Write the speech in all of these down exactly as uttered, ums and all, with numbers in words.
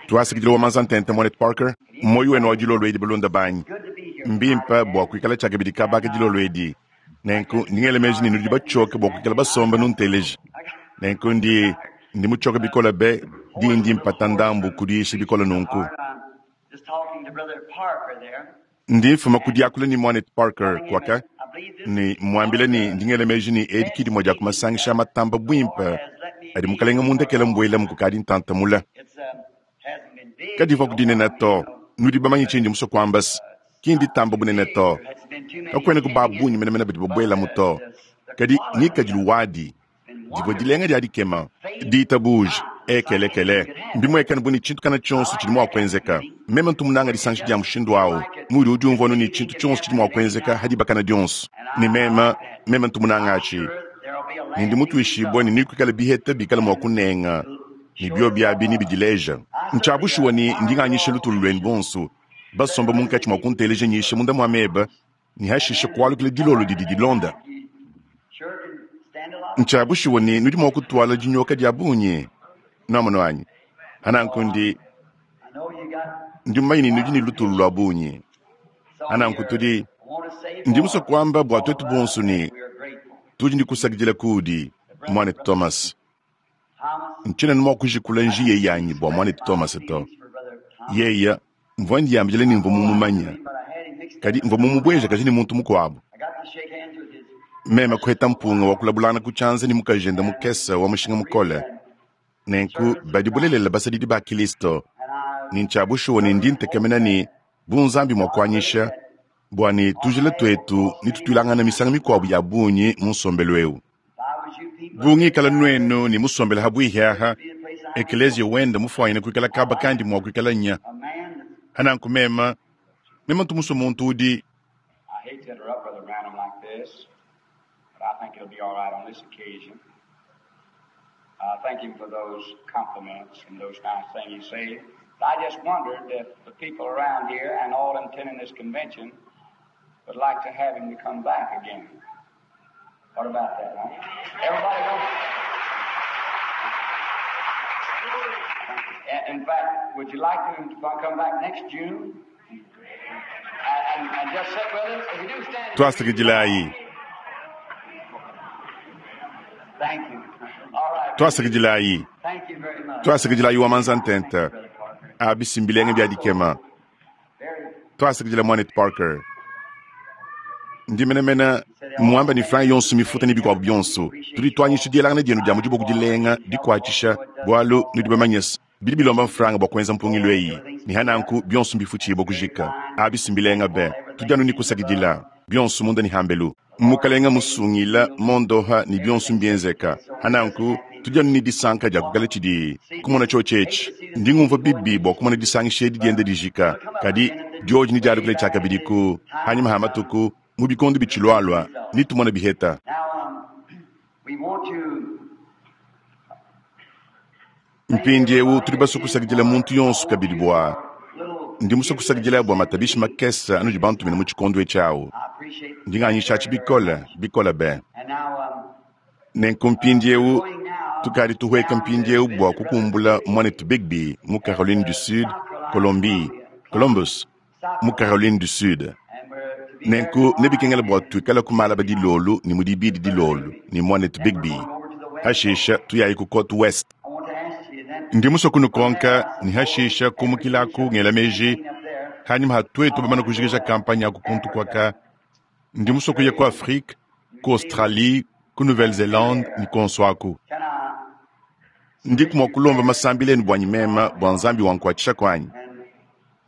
Twasakidila wa manza ntente mwanetu Parker. Moyo wenu wa dilolo edi balunda banyi. Mbimpe bua kuikala tshiakabidi kabaka dilolo edi. Nenku ndingele meji ne nudi batshoke bua kuikala basomba nunteleja. Nenku ndi ndi mutshoke bikole be dindi mpata ndambu kudiyisha bikole nunku. Ndi mfuma ku diakula ne mwanetu Parker kwaka ne mwambile ne ndingele meji ne edi ki dimue dia ku masangisha a matamba buimpe adi mukalenge mundekele mbuelamu kukadi ntantamula. Kadivua ku dinene to, nudi bamanye tshindi musue kuamba se ki nditamba bunene to. Kakuena ku ba bungi menemene badi babuelamu to. Kadi ngikadilu wadi divua dilenga dia dikema, ditabuja ekelekele mbimuekane bu ne tshintu kana tshionso tshidi mua kuenzeka. Meme ntu munanga disangisha dia mushindu awu, mudi udiumvua anu ne tshintu tshionso tshidi mua kuenzeka hadibakana dionso. Ne meme meme ntu munanga atshi, ne ndi mutuishibue ne nekuikale biheta bikale mua kunenga ne biobi abi nebidileja. Ntshia bushuwa ne ndi nganyisha lutulu luenu bonso basomba munkatshi mua kunteleja nyisha munda mua meba ne hashishe kualukila dilolo didi dilonda. Ntshia bushuwa ne nudi mua kutuala dinyoka dia bungi nuamono anyi. Ananku ndi ndi mumanye ne nudi ne lutulu lua bungi. Ananku tudi ndi musue kuamba bua tuetu bonso ne tudi ne kusakidila kudi mwanetu Thomas. Ntshiena mua kujikula njiya yanyi bua mwanetu Thomas to. Yeya mvua ndiyambila ne mvua mumumanya, kadi mvua mumubueja kaji ne muntu mukuabu. Meme kuheta mpunga wa kulabulana ku tshianza ne mukajende mukese wa mushinga mukole. Nenku badi bulelela basadidi ba Kristo ne ntshia bushuwa ne ndi ntekemena ne bu Nzambi mua kuanyisha bua ne tujila tuetu ne tutuilangana misangu mikuabu ya bungi mu nsombelu eu. Bu ngikala nuenu ne musombele habwihi aha, ekeleziya wenda mufuanyine kuikala kaba kandi mua kuikala nya. Ananku meme meme ntu musue muntu udi I hate to interrupt Brother Branham like this, but I think it'll be all right on this occasion. I thank him for those compliments and those nice things he said. But I just wondered if the people around here and all attending this convention would like to have him to come back again. What about that, huh? Everybody wants. In fact, would you like him to come back next June? And, and, and just sit with us? If you do stand. Twasakidilayi. Thank you. All right. Twasakidilayi. Thank you very much. Twasakidilayi wa manza ntente. Brother Parker. Abisimbilenge bia dikema. Very Twasakidila mwanetu Parker. Ndi menemene muamba ne franga yonso mifuta ne bikuabu bionso. Tudi tuanyisha dielangana dienu dia mu diboko dilenga dikuatshisha bualu nudi bamanye se bidi bilomba mfranga bua kuenza mpungilu eyi. Ne hananku bionso mbifutshibua kujika. Abisimbilenga be. Tudi anu ne kusakidila bionso munda ne hambelu. Mukalenga musungila mondoha ne bionso mbienzeka. Hananku tudi anu ne disanka dia kukala tshidi kumona tshiotshi Ndi ngumvua bibi bua kumona disangisha edi dienda dijika. Kadi dioji ne dialukile tshiakabidi ku hanyuma ha matuku mu bikondo bitshilualua ne tumona biheta. Now, um, we want to Mpindiewu tudi basue kusakidila muntu yonso kabidi bua ndi musue kusakidila bua matabishi makese anudi bantumina mu tshikondo etshi awu. I appreciate Ndi nganyisha atshi bikole bikole be. And now, um, Nenku mpindiewu tukadi tuhueka mpindiewu bua kukumbula mwanetu Bigby mu Caroline du Sud, Colombie, Columbus mu Caroline du Sud. and we're to be Nenku nebikengela bua tuikale ku malaba dilolo ne mu dibidi dilolo ne mwanetu Bigby. Hashisha tuyayi ku Côte West. I want to ask you then Ndi musue kunukonka ne hashisha kumukilaku ngela meji up there hanyuma ha tuetu bamana kujikija kampanye aku kuntu kwaka ndi musue kuya ku Afrique, ku Australie, ku Nouvelle-Zélande ne konso aku. can I Ndi kumua kulomba masambila enu buanyi mema bua Nzambi wankuatshisha kuanyi. and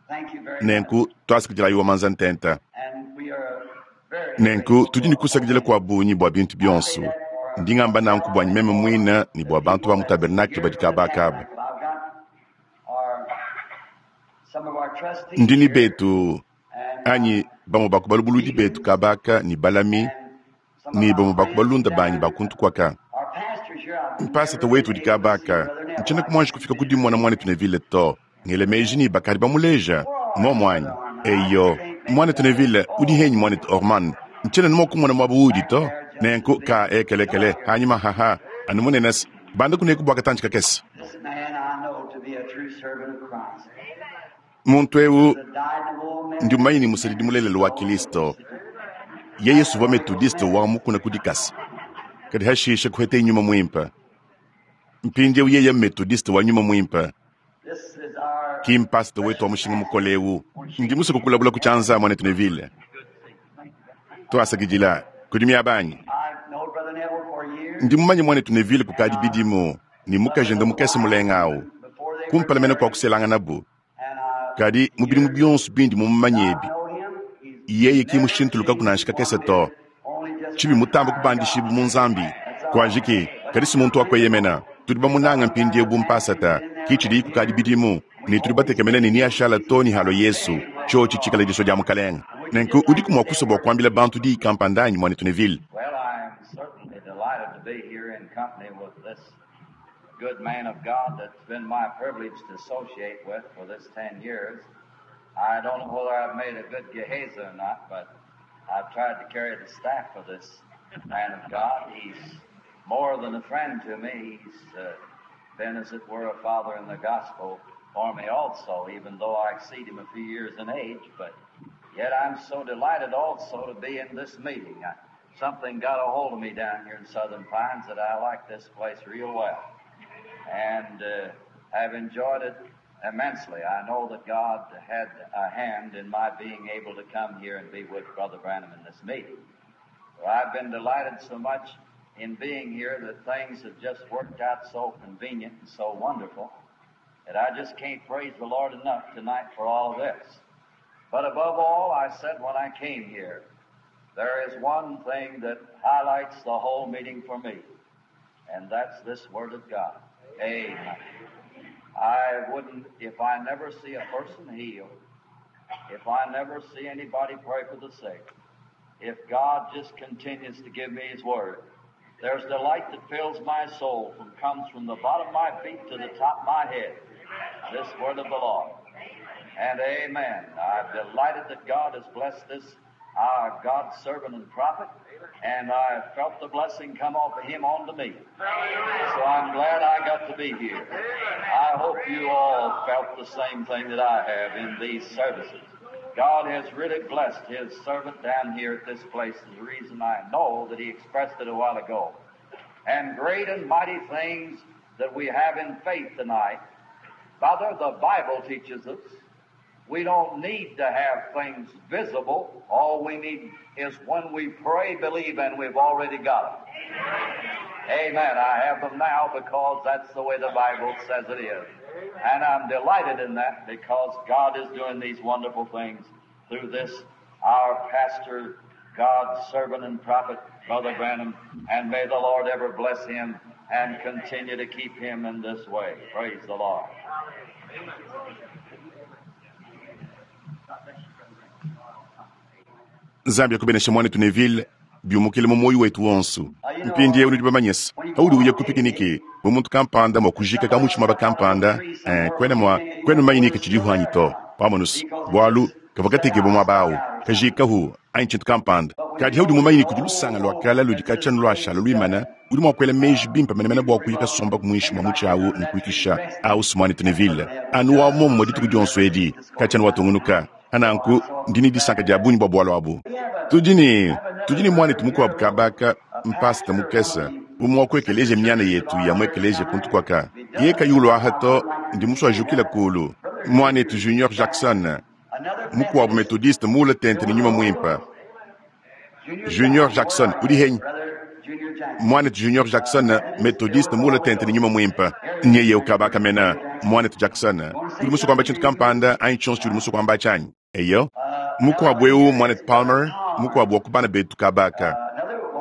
thank you very much. Nenku twasakidilayi wa manza ntenta. And we are very Nenku tudi ne kusakidila kua bungi bua bintu bionso. Ndi ngamba nanku buanyi meme muina ne bua bantu ba mu tabernacle badi kabakaba. I've got our some of our trustees Ndi ne here betu and anyi bamue ba ku balubuludi betu kabaka ne balami and some of ne our bamue ba ku friends balunda banyi down ba kuntu kwaka. our pastors here. I've Mpasata never wetu been udi able to see kabaka Brother Neville. ntshiena kumuanji kufika ku dimona mwanetu Neville to. Ngele meji ne bakadi bamuleja momu anyi. Eyo mwanetu Neville udi henyi mwanetu Orman. Ntshiena numa kumona muaba udi to. Nenku ka ekelekele hanyuma haha anu munene se banda kuneku bua katantshi kakese. This man I know to Muntu eu ndi mumanye ne musadidi mulelela wa Kilisto. Yeye suvua metodiste wa mukuna ku dikasa. Kadi hashishe kuhete nyuma mwimpe. Mpindieu yeye metodiste wa nyuma mwimpe. Ki mpasita wetu wa mushinga mukole eu. Ndi musue kukulabula ku tshianza mwanetu Neville. Twasakidila kudi miabanyi. Ndi mumanye mwanetu Neville kukadi bidimu ni mukajende mukese mulenga awu. Kumpala mene kwa kuselangana bu. Kadi mu bidimu bionso bindi mumumanye ebi. Yeye ki mushintuluka kunanshika kese to. Tshibi mutamba kubandishibu mu Nzambi. Kwajiki kadi si muntu wakweyemena. Tudi bamunanga mpindieu bu mpasata. Ki tshidi kukadi bidimu ne tudi batekemena ne niashala to ni halo Yesu. Tshotsho tshikala diso dia mukalenga. Nenku udiku mua kusua bua kuambila bantu diyi kampanda anyi mwanetu Neville. Well, I am certainly delighted to be here in company with this good man of God that's been my privilege to associate with for this ten years. I don't know whether I've made a good Gehazi or not, but I've tried to carry the staff for this man of God. He's more than a friend to me. He's uh, been, as it were, a father in the gospel for me also, even though I exceed him a few years in age. But yet I'm so delighted also to be in this meeting. I, something got a hold of me down here in Southern Pines that I like this place real well. And uh, I've enjoyed it immensely. I know that God had a hand in my being able to come here and be with Brother Branham in this meeting. Well, I've been delighted so much in being here that things have just worked out so convenient and so wonderful that I just can't praise the Lord enough tonight for all of this. But above all, I said when I came here, there is one thing that highlights the whole meeting for me, and that's this Word of God. Amen. I wouldn't, if I never see a person healed, if I never see anybody pray for the sick, if God just continues to give me His Word, there's delight that fills my soul from comes from the bottom of my feet to the top of my head. This Word of the Lord. And amen. I'm delighted that God has blessed this, our God's servant and prophet, and I felt the blessing come off of him onto me. So I'm glad I got to be here. I hope you all felt the same thing that I have in these services. God has really blessed His servant down here at this place. Is the reason I know that he expressed it a while ago. And great and mighty things that we have in faith tonight. Father, the Bible teaches us we don't need to have things visible. All we need is when we pray, believe, and we've already got them. Amen. I have them now because that's the way the Bible says it is. And I'm delighted in that because God is doing these wonderful things through this, our pastor, God's servant and prophet, Brother Branham. And may the Lord ever bless him and continue to keep him in this way. Praise the Lord. Nzambi akubenesha mwanetu Neville biumukile mu moyo wetu wonso. Mpindieu nudi bamanyisa. Paudi uya ku pikiniki bu muntu kampanda mua kujika kamutshima bakampanda eh, kwena mua kwena manyinika tshidi hanyi to pamonusu bualu kavua katekebua muaba awu kajikahu anyi tshintu kampanda. Kadi haudi mumanyini kudi lusanga lua kala ludi katshianu luashala luimana udi mua kuela meji bimpe menemene bua kuya kasomba muinshi mua mutshi awu ne kuikisha awu si mwanetu Neville anu wa momumue dituku dionso edi katshianu watungunuka. Ananku ndi ne disanka dia bungi bua bualu abu. Tudi ne tudi ne mwanetu mukuabu kabaka mpasita mukese umwe wa ku ekeleziya miana yetu ya mu ekeleziya kuntu kuaka. Ye kayulu aha to ndi musua jukila kulu. Mwanetu Junior Jackson mukuabu metodiste muula tente ne nyuma muimpe. Junior Jackson udi henyi. Mwanetu Junior Jackson metodiste muula tente ne nyuma muimpe. Nyeye ukabaka mena mwanetu Jackson udi musua kuamba tshintu kampanda anyi tshionso tshidi musua kuamba tshanyi. Eyo mukuabu eu mwanetu Palmer mukuabu wa ku bana betu kabaka.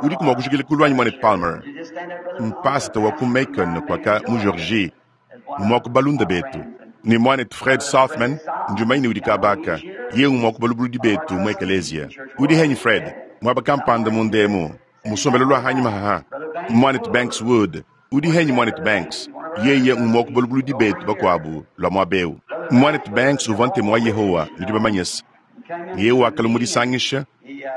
Udi kumua kujukila kulu anyi mwanetu Palmer. Mpasita wa ku Macon kuaka mu Georgie mumua ku balunda betu. Ni mwanetu Fred Sothmann njumaini udi kabaka. Ye umua ku balubuludi betu mu ekeleziya. Udi henyi Fred muaba kampanda mundemu musombelo lua hanyi mahaha. Mwanetu Banks Wood udi henyi mwanetu Banks. Yeye umua ku balubuludi betu bakuabu lua muaba eu. Mwanetu Banks uvua ntemu wa Yehowa nudi bamanyisa. Yeye wakala mudisangisha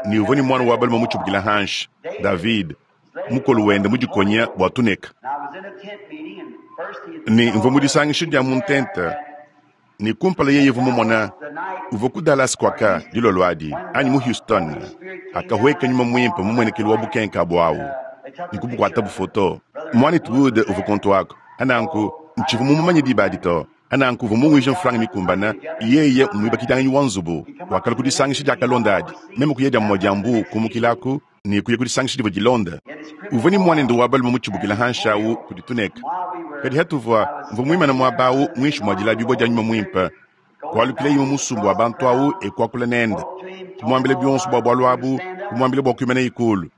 ni uvua ni mwana wa balume mutshibukila hanshi David mukolo wende mudikonya bua tuneka. And I was in a tent meeting and Ne mvua mu disangisha dia mu ntenta, ne kumpala yeye uvua mumona, uvua ku Dallas kwaka dilolo adi, anyi mu Houston, akahueka nyuma muimpe mu muenekelu wa bukenka abu awu, ne kubukuata bufoto. Mwanetu Wood uvua kontu ako. Ananku, ntshivua mumumanye diba adi to. Ananku uvua munguije mfranga mikumbana, yeye muibakidianganyi wa nzubu, wakala ku disangisha dia kalonda adi. Meme kuya dia mumue dia mbu kumukilaku, ne kuya ku disangisha divua dilonda. Uvua ne muanende wa balume mutshibukila hanshi awu kudi tuneka. Kadi hatuvua, mvua muimane muaba awu muinshi mua dilabibua dia nyuma muimpe, kualukila imue musumba wa bantu awu e kuakula nende, kumuambila bionso bua bualu abu, kumuambila bua kuimana ikulu.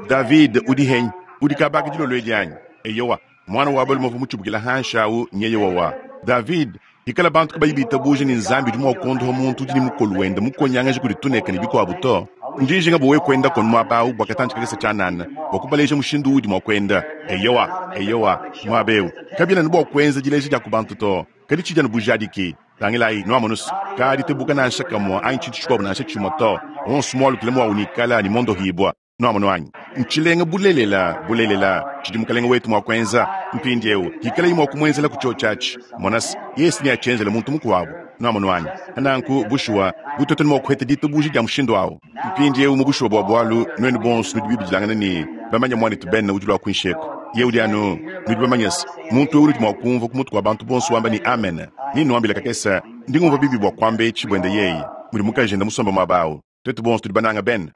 David udi henyi, udi kabaka dilolo edi anyi? Eyowa, mwana wa balume uvua mutshibukila hanshi awu nyeye wawa. David, ikala bantu kabayi bitabuja ne Nzambi udi mua kuondoha muntu udi ne mukolu wende mukonyangaje kudi tuneka ne bikuabu to. Ndi njinga bua wewe kuenda kono muaba awu bua katantshi kakese tshianana, bua kubaleja mushindu uudi mua kuenda. Eyowa, eyowa, muaba eu. Kabiena ne bua kuenza dileja dia ku bantu to, kadi tshidi anu bujadiki. Tangilayi, nuamonusu, kadi tebuka nansha kamua anyi tshintu tshikuabu nansha tshimue to. Onso mualukile muawu nikala ne mondohibua. Nuamono anyi? Ntshilenga bulelela, bulelela, tshidi mukalenge wetu mua kuenza. Mpindieu, hikalayi mua kumuenzela ku tshiotshi atshi. Monasi, Yesu neatshienzele muntu mukuabu. Nuamono anyi? Nanku, bushuwa, butoto ne mua kuheta ditabuja dia mushindu awu. Mpindieu mu bushuwa bua bualu, nuenu bonso nudi bibidilangana ne bamanya muanetu Ben udi lua kuinsheko. Ye udi anu, nudi bamanya se, muntu eu udi mua kumvua ku mutu kua bantu bonso wamba ne amen. Ni nuambila kakese, ndi ngumvua bibi bua kuamba etshi buende yeye, mudi mukajende musomba muaba awu. Twetu bonso tudi bananga Ben.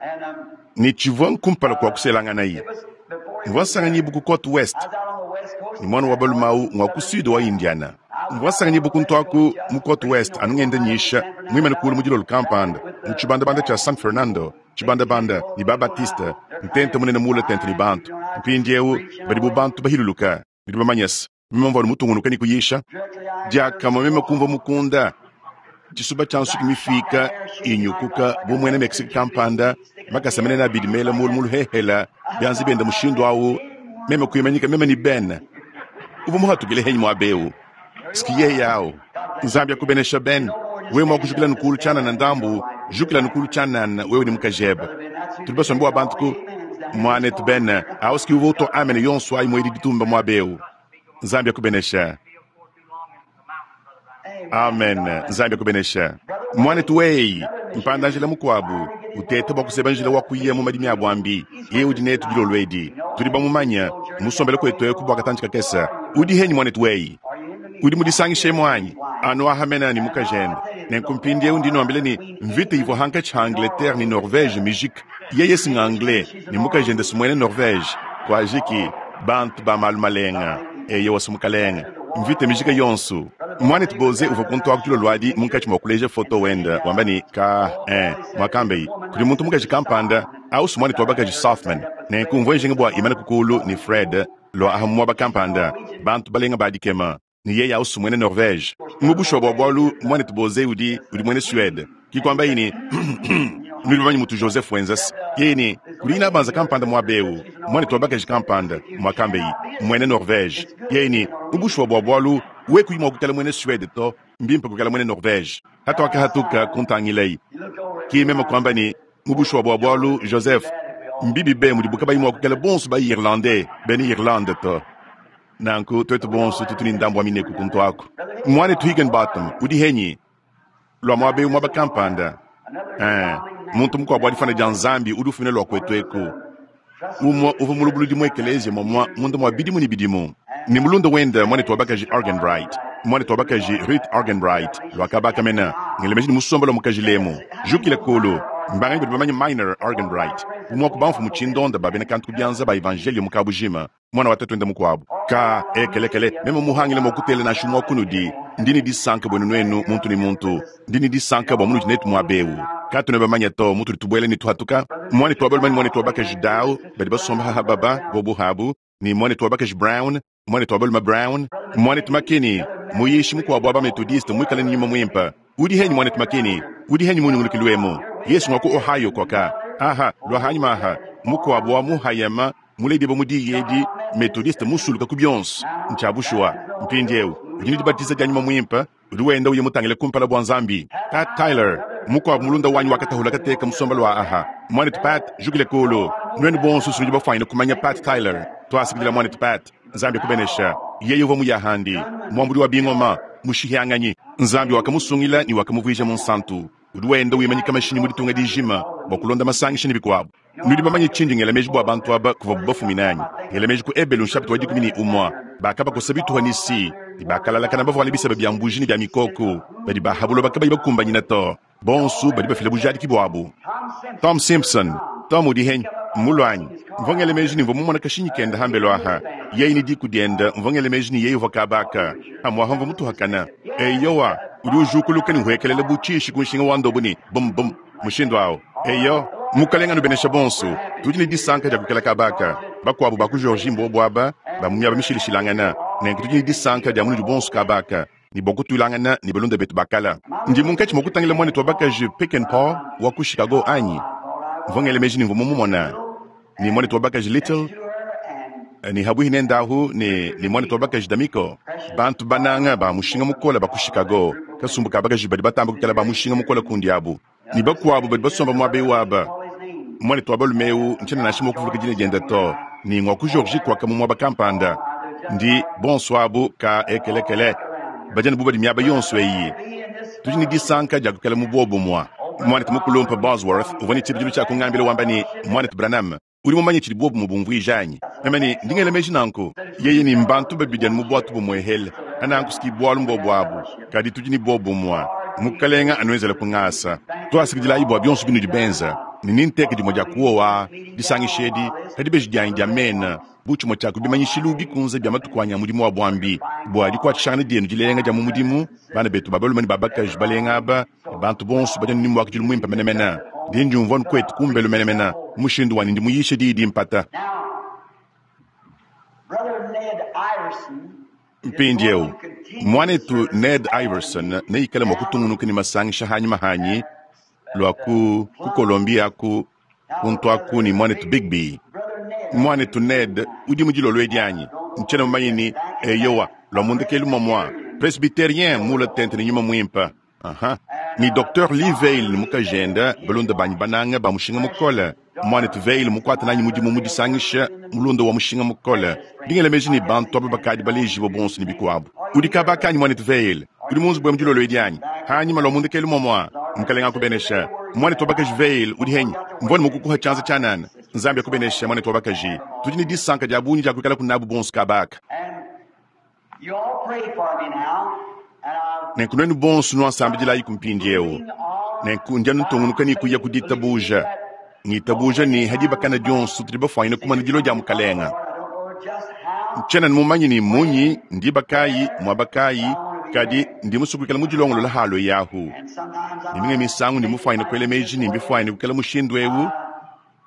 Ne tshivua nkumpala kua kuselangana ye. Mvua nsanganyibu ku Côte Ouest, ne mwana wa balume awu ngwa ku sud wa Indiana. Mvua nsanganyibu ku ntwaku mu Côte Ouest anu ngenda nyisha, muimane kulu mu dilolo kampanda, mu tshibandabanda tshia San Fernando, tshibandabanda ne ba Baptiste, ntente munene mule tente ne bantu. Mpindieu badi bu bantu bahiluluka, nudi bamanya se, meme mvua mutungunuka ne kuyisha. Diakamue meme kumvua mukunda, tshisuba tshia nsuki mifika inyukuka bu muena Mexique kampanda, makasa menene abidi mela mulu muluhehela, bianza biende mushindu awu, meme kuimanyika meme ni Ben. Uvua muhatukile henyi muaba eu. Siki yeye awu. Nzambi akubenesha Ben. Wewe mua kujukila nukulu tshianana ndambu, jukila nukulu tshianana wewe ni mukajebe. Tudi basombe bua bantu ku muanetu Ben, awu siki uvua utua amen yonso ayi muedi ditumba muaba eu. Nzambi akubenesha. Amen. Nzambi akubenesha. Muanetu weyi, mpanda njila mukuabu, utete bua kuseba njila wa kuya mu madimi a bwambi. Yeye udi netu dilolo edi. Tudi bamumanya, musombele kwetu eku bua katantshi kakese. Udi henyi muanetu weyi? Udi mudisangishe mwanyi? Anu ahamena ni mukajende. Nenku mpindieu ndi nuambile ni mvita ivua hankatshi ha Angleterre ni Norvège mijika. Yeye singa anglais ni mukajende simwene Norvège. Kuajiki bantu ba malu malenga. Eye wasi mukalenga. Mvita mijika yonso. Mwanetu Boze uvua kuntu aku dilolo adi munkatshi mua kuleja foto wende wamba ni ka eh mwakambei kudi muntu mukaji kampanda ausu mwanetu wa bakaji Softman. Nenku mvua njinga bua imana kukulu ni Fred lua aha muaba kampanda bantu balenga badikema ni yeye ausu mwene Norvège. Mu bushuwa bua bualu mwanetu Boze udi udi mwene Suède. Kikwamba yini nudi bamanye mutu Joseph Wenzes. Yeye ni kudi ina banza kampanda muaba eu mwanetu wa bakaji kampanda mwakambei mwene Norvège. Yeye ni mu bushuwa bua bualu we kuyi mua kukala mwene Suède to mbimpe kukala mwene Norvège. Hatu akahatuka kuntangilei. Ki meme kwamba ni mu bushuwa bua bualu Joseph mbibi be mudi buka bayi mua kukala bonso ba Irlandais bene Irlande to. Nanku twetu bonso tutu ni ndambu wa mineku kuntu aku. Mwanetu Higginbotham udi henyi lua muaba eu muaba kampanda. Eh, muntu mukuabu adifana dia Nzambi udi ufumina lua kwetu eku. Umue uvua mulubuludi mu ekelezia momua munda mua bidimu ne bidimu. Ni mulunda wende mwanetu wa bakaji Arganbright. Mwanetu wa bakaji Ruth Arganbright lwakabaka mena ngelemeji ni musomba lwa mukaji lemu. Jukile kulu mbanganyi badi bamanye Minor Arganbright. Umue ku bamfumu tshindonda ba bena kantu ku bianza ba evangelio mu kabujima. Mwana wa tatu wende mukuabu. Ka ekelekele meme muhangile mua kutela nansha mua kunudi. Ndi ni disanka bwenu nwenu muntu ni muntu. Ndi ni disanka bua munudi netu muaba eu. Katu ne bamanya to mutu tubuele ni tuhatuka. Mwanetu wa balume ni mwanetu wa bakaji Dow badi basomba haha baba bobu habu ni mwanetu wa bakaji Brown, mwanetu wa balume Brown, mwanetu Makini, muyishi mukuabu wa ba Methodiste muikale ni nyuma mwimpa. Udi henyi mwanetu Makini, udi henyi munyungulukilwemu. Yesu ngwa ku Ohio kwaka. Aha, lwa hanyuma aha, mukuabu wa muhayama muledi ba mudi yedi Methodiste musuluka ku bionso. Ntshiabushua mpindieu udi ne dibatiza dia nyuma mwimpa, udi wenda uye mutangile kumpala bua Nzambi. Pat Tyler mukuabu mulunda wanyi wakatahula kateka musomba lwa aha. Mwanetu Pat jukile kulu. Nwenu bonso nudi bafwanyine kumanya Pat Tyler. Twasikidila mwanetu Pat. Nzambi akubenesha. Yeye uvwa muyahandi, mwambudi wa bingoma, mushihanganyi. Nzambi wakamusungila ne wakamuvuija munsantu. Udi wenda wimanyika mashinyi mu ditunga dijima bua kulonda masangisha ne bikuabu. Nudi bamanye tshindi ngela meji bua bantu aba kuvuabu bafumina anyi? Ngela meji ku Ebelu nshapita wa dikumi ne umue. Bakabakosa bituha ne si, ne bakalalakana bavuale biseba bia mbuji ne bia mikoko, badi baha buloba kabayi bakumbanyina to. Bonso badi bafila bujadiki buabu. Tom Simpson, Tom udi henyi, mmulwanyi. Mvua ngela meji ne mvua mumona kashinyi kenda hambelu aha. Yeye ne diku dienda, mvua ngela meji ne yeye uvua kabaka. Amwaha mvua mutuhakana. Eyowa, udi ujukuluka ne uhekelela bu tshishi ku nshinga wa ndobo ne bum bum mushindu awu. Eyo, mukalenga nubenesha bonso, tudi ne disanka dia kuikala kabaka. Bakuabu ba ku Georgie mbobo aba, ba mu miaba mishilashilangana. Nenku tudi ne disanka dia munudi bonso kabaka. Ne bua kutulangana ne balunda betu bakala. Ndi munkatshi mua kutangila mwanetu wa bakaji Peckinpah wa ku Chicago anyi? Mvua ngela meji ne mvua mumumona. Ne mwanetu wa bakaji Little, ne habuhi nendahu ne, ne mwanetu wa bakaji D'Amico. Bantu bananga ba mushinga mukola ba ku Chicago. Kasumbu ka bakaji badi batamba kuikala ba mushinga mukola kundi abu. Ne bakuabu badi basomba muaba ewu aba. Mwanetu wa balume ewu ntshiena nansha mua kuvuluka dina diende to. Ne ngwa ku Georgie kwaka mu muaba kampanda. Ndi bonso abu ka ekelekele. Badi anu bu badi miaba yonso eyi. Tudi ne disanka dia kuikala mu buobumue. Mwanetu mukulumpe Bosworth uvua ne tshibidilu tshia kungambila wamba ne, Mwanetu Branham, udi mumanye tshidi buobumue bumvuija anyi? Meme ne, ndi ngela meji nanku. Yeye ne mbantu babidi anu mu buatu bumuehele. Ananku siki bualu mbobu abu. Kadi tudi ne buobumue. Mukalenga anuenzele ku ngasa. Tuasakidilayi bua bionso binudi benza. Ne ninteke dimue dia kuowa disangisha edi pa dibeji dianyi dia mena bu tshimue tshia ku bimanyishilu bikunze bia matuku anyi a mudimu wa buambi bua dikuatshishangana dienu dilenga dia mu mudimu. Bana betu ba balume ne ba bakaji balenga aba ne bantu bonso badi anu ne muakidilu muimpe menemene. Ndi ndiumvua anu kuetu kumbelu menemene mu mushindu wanyi ndi muyishe diyi dimpata. Mpindieu, muanetu Ned Iverson neikale mua kutungunuka ne masangisha hanyima hanyi lua ku, ku Colombia ku, kuntu aku ne muanetu Bigby. Muanetu Ned udi mu dilolo edi anyi? Ntshiena mumanye ne, eyowa, lua mundekelu mamua. Presbyterien mula tente ne nyuma muimpe. Aha. Ni Docteur Lee Vayle ne mukajende, balunda banyi bananga ba mushinga mukole. Muanetu Vayle mukuata nanyi mudimu mu disangisha mulunda wa mushinga mukole. Ndingela meji ne bantu aba bakadi balejibue bonso ne bikuabu. Udi kabaka anyi muanetu Vayle? Udi mu nzubu ya mu dilolo edi anyi? Hanyima lua mundekelu momua. Mukalenga akubenesha. Muanetu wa bakaji Vayle udi henyi? Mvua ne mukukuha tshianza tshianana. Nzambi akubenesha muanetu wa bakaji. Tudi ne disanka dia bungi dia kuikala kunabu bonso kabaka. Nenku nuenu bonso nuasambidilayi ku mpindieu. Nenku ndi anu ntungunuka ne kuya ku ditabuja. Ngitabuja ne hadibakana dionso tudi bafuanyine kumana dilo dia mukalenga. Ntshiena mumanye ne munyi ndiba kayi muaba kayi, kadi ndi musue kuikala mu dilongolola halo yahu. Ne minga misangu ndi mufuanyine kuela meji ne mbifuanyine kuikala mushindu ewu,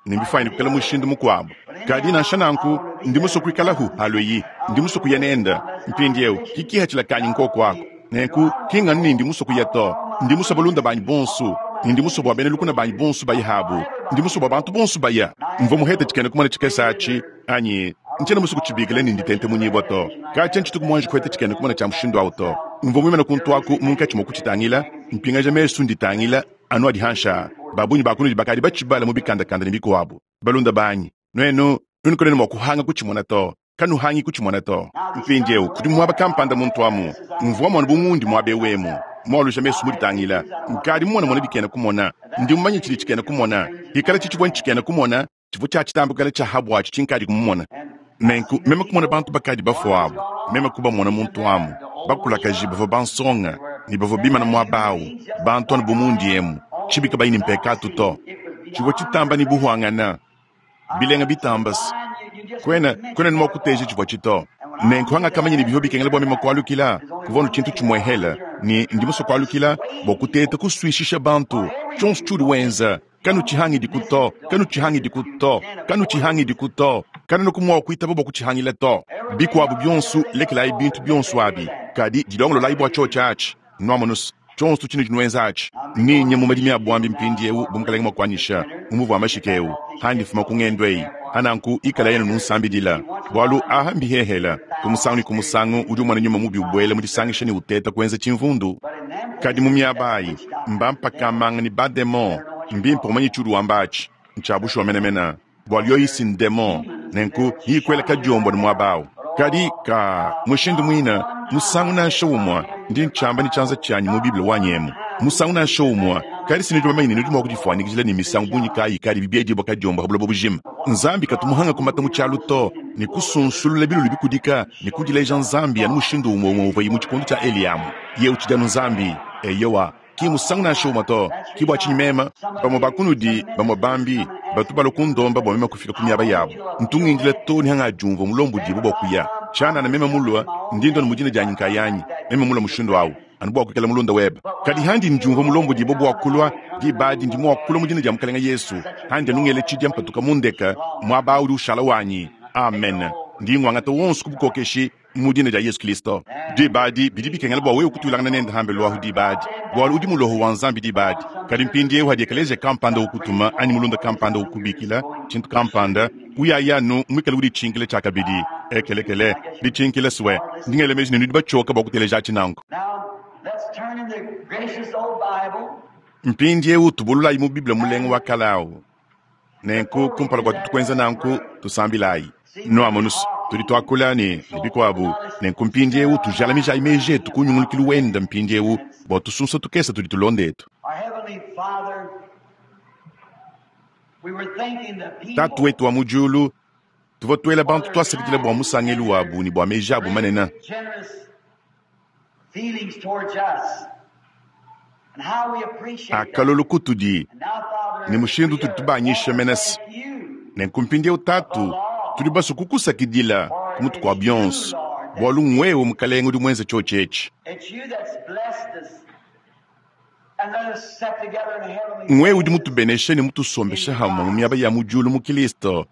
ne mbifuanyine kuikala mushindu mukuabu. Kadi nansha nanku ndi musue kuikalahu halo iyi, ndi musue kuya nenda. Mpindieu kikihatshila kanyi nkoko ako. Nenku ki nganu ne ndi musue kuya to. Ndi musue balunda banyi bonso, ne ndi musue bua bena lukuna banyi bonso bayihabu. Ndi musue bua bantu bonso baya. Mvua muhete tshikena kumona tshikese atshi anyi ntshiena musue kutshibikila ne nditente munyibua to. Katshia ntshituku muanji kuheta tshikena kumona tshia mushindu awu to. Mvua muimane kuntu aku munkatshi mua kutshitangila, mpingaja mesu nditangila anu adi hansha. Babunyi ba kunudi bakadi batshibala mu bikandakanda ne bikuabu. Balunda banyi, nuenu, nuenu kanuena mua kuhanga kutshimona to. Kanuhangi kutshimona to. Mpindieu kudi muaba kampanda muntu amu. Mvua muana bu mundi muaba ewu emu. Mualuja mesu muditangila. Nkadi mumona mona bikena kumona. Ndi mumanye tshidi tshikena kumona. Hikala tshitshivua ntshikena kumona, tshivua tshia tshitambukela tshia habu atshi tshinkadi kumumona. Nenku meme kumona bantu bakadi bafuabu, meme kubamona muntu amu. Bakulakaji bavua bansonga ne bavua bimana muaba awu, bantu anu bu mundi emu, tshibi kabayi ne mpekatu to. Tshivua tshitamba ne buhuangana, bilenga bitambase. Kwena, kwena ni mua kuteja tshivua tshito. Nenku hangakamanya ne bivua bikengela bua meme kualukila, kuvua nu tshintu tshimuehele, ne ndi musue kualukila bua kuteta kusuishisha bantu. Tshionso tshiudi wenza, kanutshihangidiku to, kanutshihangidiku to, kanutshihangidiku to, kanuena mua kuitaba bua kutshihangila to. Bikuabu bionso, lekelayi bintu bionso abi, kadi dilongololayi bua tshiotshi atshi. Nuamonusa tshionso tshinudi nuenza atshi. Ninye mu madimi a buambi mpindiewu bu mukalenga mua kuanyisha, mu muvu wa mashika ewu, handi fuma ku ngendo eyi. Hananku ikala yenu nunsambidila. Bualu aha mbihehela, ku musangu ne ku musangu udi umona nyuma mubi ubuela mu disangisha ne uteta kuenza tshimvundu. Kadi mu miaba ayi, mbampakamanga ne bademon, mbimpe umanye tshiudi wamba atshi. Ntshia bushuwa menemene. Bualu yoyi si ndemon, nenku yikuela kadiombo ne muaba awu. Kadi ka mushindu muine, musangu nansha umue, ndi ntshiamba ne tshianza tshianyi mu Bible wanyi emu, musangu nansha umue, kadi si nudi bamanye ne nudi mua kudifuanyikijila ne misangu bungi kayi ikadi biedibua kadiombo pa buloba bujima. Nzambi katu muhanga kumata mu tshialu to, ne kusunsulula bilulu bikudika ne kudileja Nzambi anu mushindu umue umue uvuaye mu tshikondo tshia Eliya amu. Yeye utshidi anu Nzambi. Eyowa, ki musangu nansha umue to. Ki bua tshinyi meme, bamue ba kunudi, bamue bambi, batu balua kundomba bua meme kufika ku miaba yabu. Ntu ngindila too ne hangadiumvua mulombodibue bua kuya. Tshianana meme mulue, ndi ndua ne mu dina dianyi nkayanyi, meme mulue mushindu au, anu bua kuikala mulunda webe. Kadi handi ndiumvua mulombodibue bua kulua, diba adi ndi mua kulua mu dina dia Mukalenge Yesu, handi anu ngela tshidia mpatuka mu ndeke, muaba udi ushala wanyi. Amen. Ndi nguangata wonso ku bukokeshi mu dina dia Yesu Kristo. Diba adi bidi bikengela bua wewe kutuilangana nende hambelu ahu diba adi, bualu udi muloho wa Nzambi diba adi. Kadi mpindieu hadi ekeleziya kampanda ukutuma anyi mulunda kampanda ukubikila tshintu kampanda, uyaya anu muikale uditshinkila tshiakabidi. Ekelekele, ditshinkila sue. Ndi ngela meji ne nudi batshioka bua kuteleja atshi nanku. Now, let's turn in the gracious old Bible. Mpindieu tubululayi mu Bible mulenga wa kale awu. Nenku kumpala kua tuetu kuenza nanku, tusambilayi. Nuamonus, tudi tuakula ne, ne bikuabu. Nenku mpindieu tujalamijayi meji etu ku nyungulukilu wenda mpindieu bua tusunsa tukese tudi tulonda etu. Our Heavenly Father, we were thanking the people Tatu wetu wa mu diulu, tuvua tuela bantu tuasakidila bua musangelu wabu ne bua meji abu manene. generous feelings towards us and how we appreciate them. Akalolu kutudi And now, Father, ne mushindu we tudi are tubanyisha want to menese. thank you Nenku mpindieu Tatu, tudi basue kukusakidila ku mutu kua bionso, bualu ngwewe Mukalenge udi muenze tshiotshi etshi. It's you that's blessed us and let us sit together in heavenly Ngwewe udi places. mutubeneshe ne mutusombeshe hamwe mu miaba ya mu diulu mu Kristo.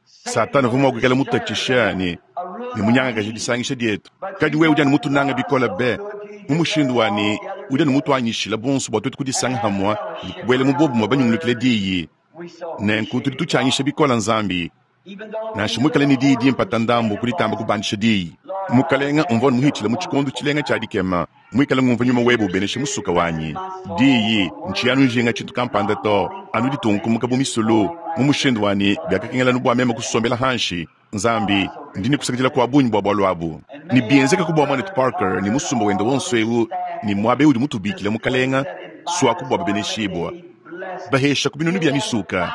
Satana uvua mua kuikala mutatshisha ne ne munyangakaje disangisha dietu. Kadi wewe udi anu mutunanga bikole be, mu mushindu wa ne udi anu mutuanyishila bonso bua tuetu kudisanga hamwe ne kubuela mu bobumue banyungulukile diyi. We so Nenku tudi appreciate it, tutshianyisha God. bikole Nzambi, Even though nansha we muikale ne diyi dimpe stand ndambu kuditamba kubandisha diyi. Mukalenga umvua muhitshile mu tshikondo tshilenga tshia dikema, muikale ngumva nyuma webe ubenesha musuka wanyi. Diyi ntshiya njinga tshintu kampanda to, anu ditunkumuka bu misulu, mu mushindu wanyi biakakengela anu bua meme kusombela hanshi. Nzambi, ndi ne kusakidila kua bungi bua bualu abu. Ne bienzeka ku bua Mwanetu Parker ne musumba wende wonso eu ne muaba udi mutubikile Mukalenga, suaku bua babeneshibua. Bahesha ku binunu bia misuka.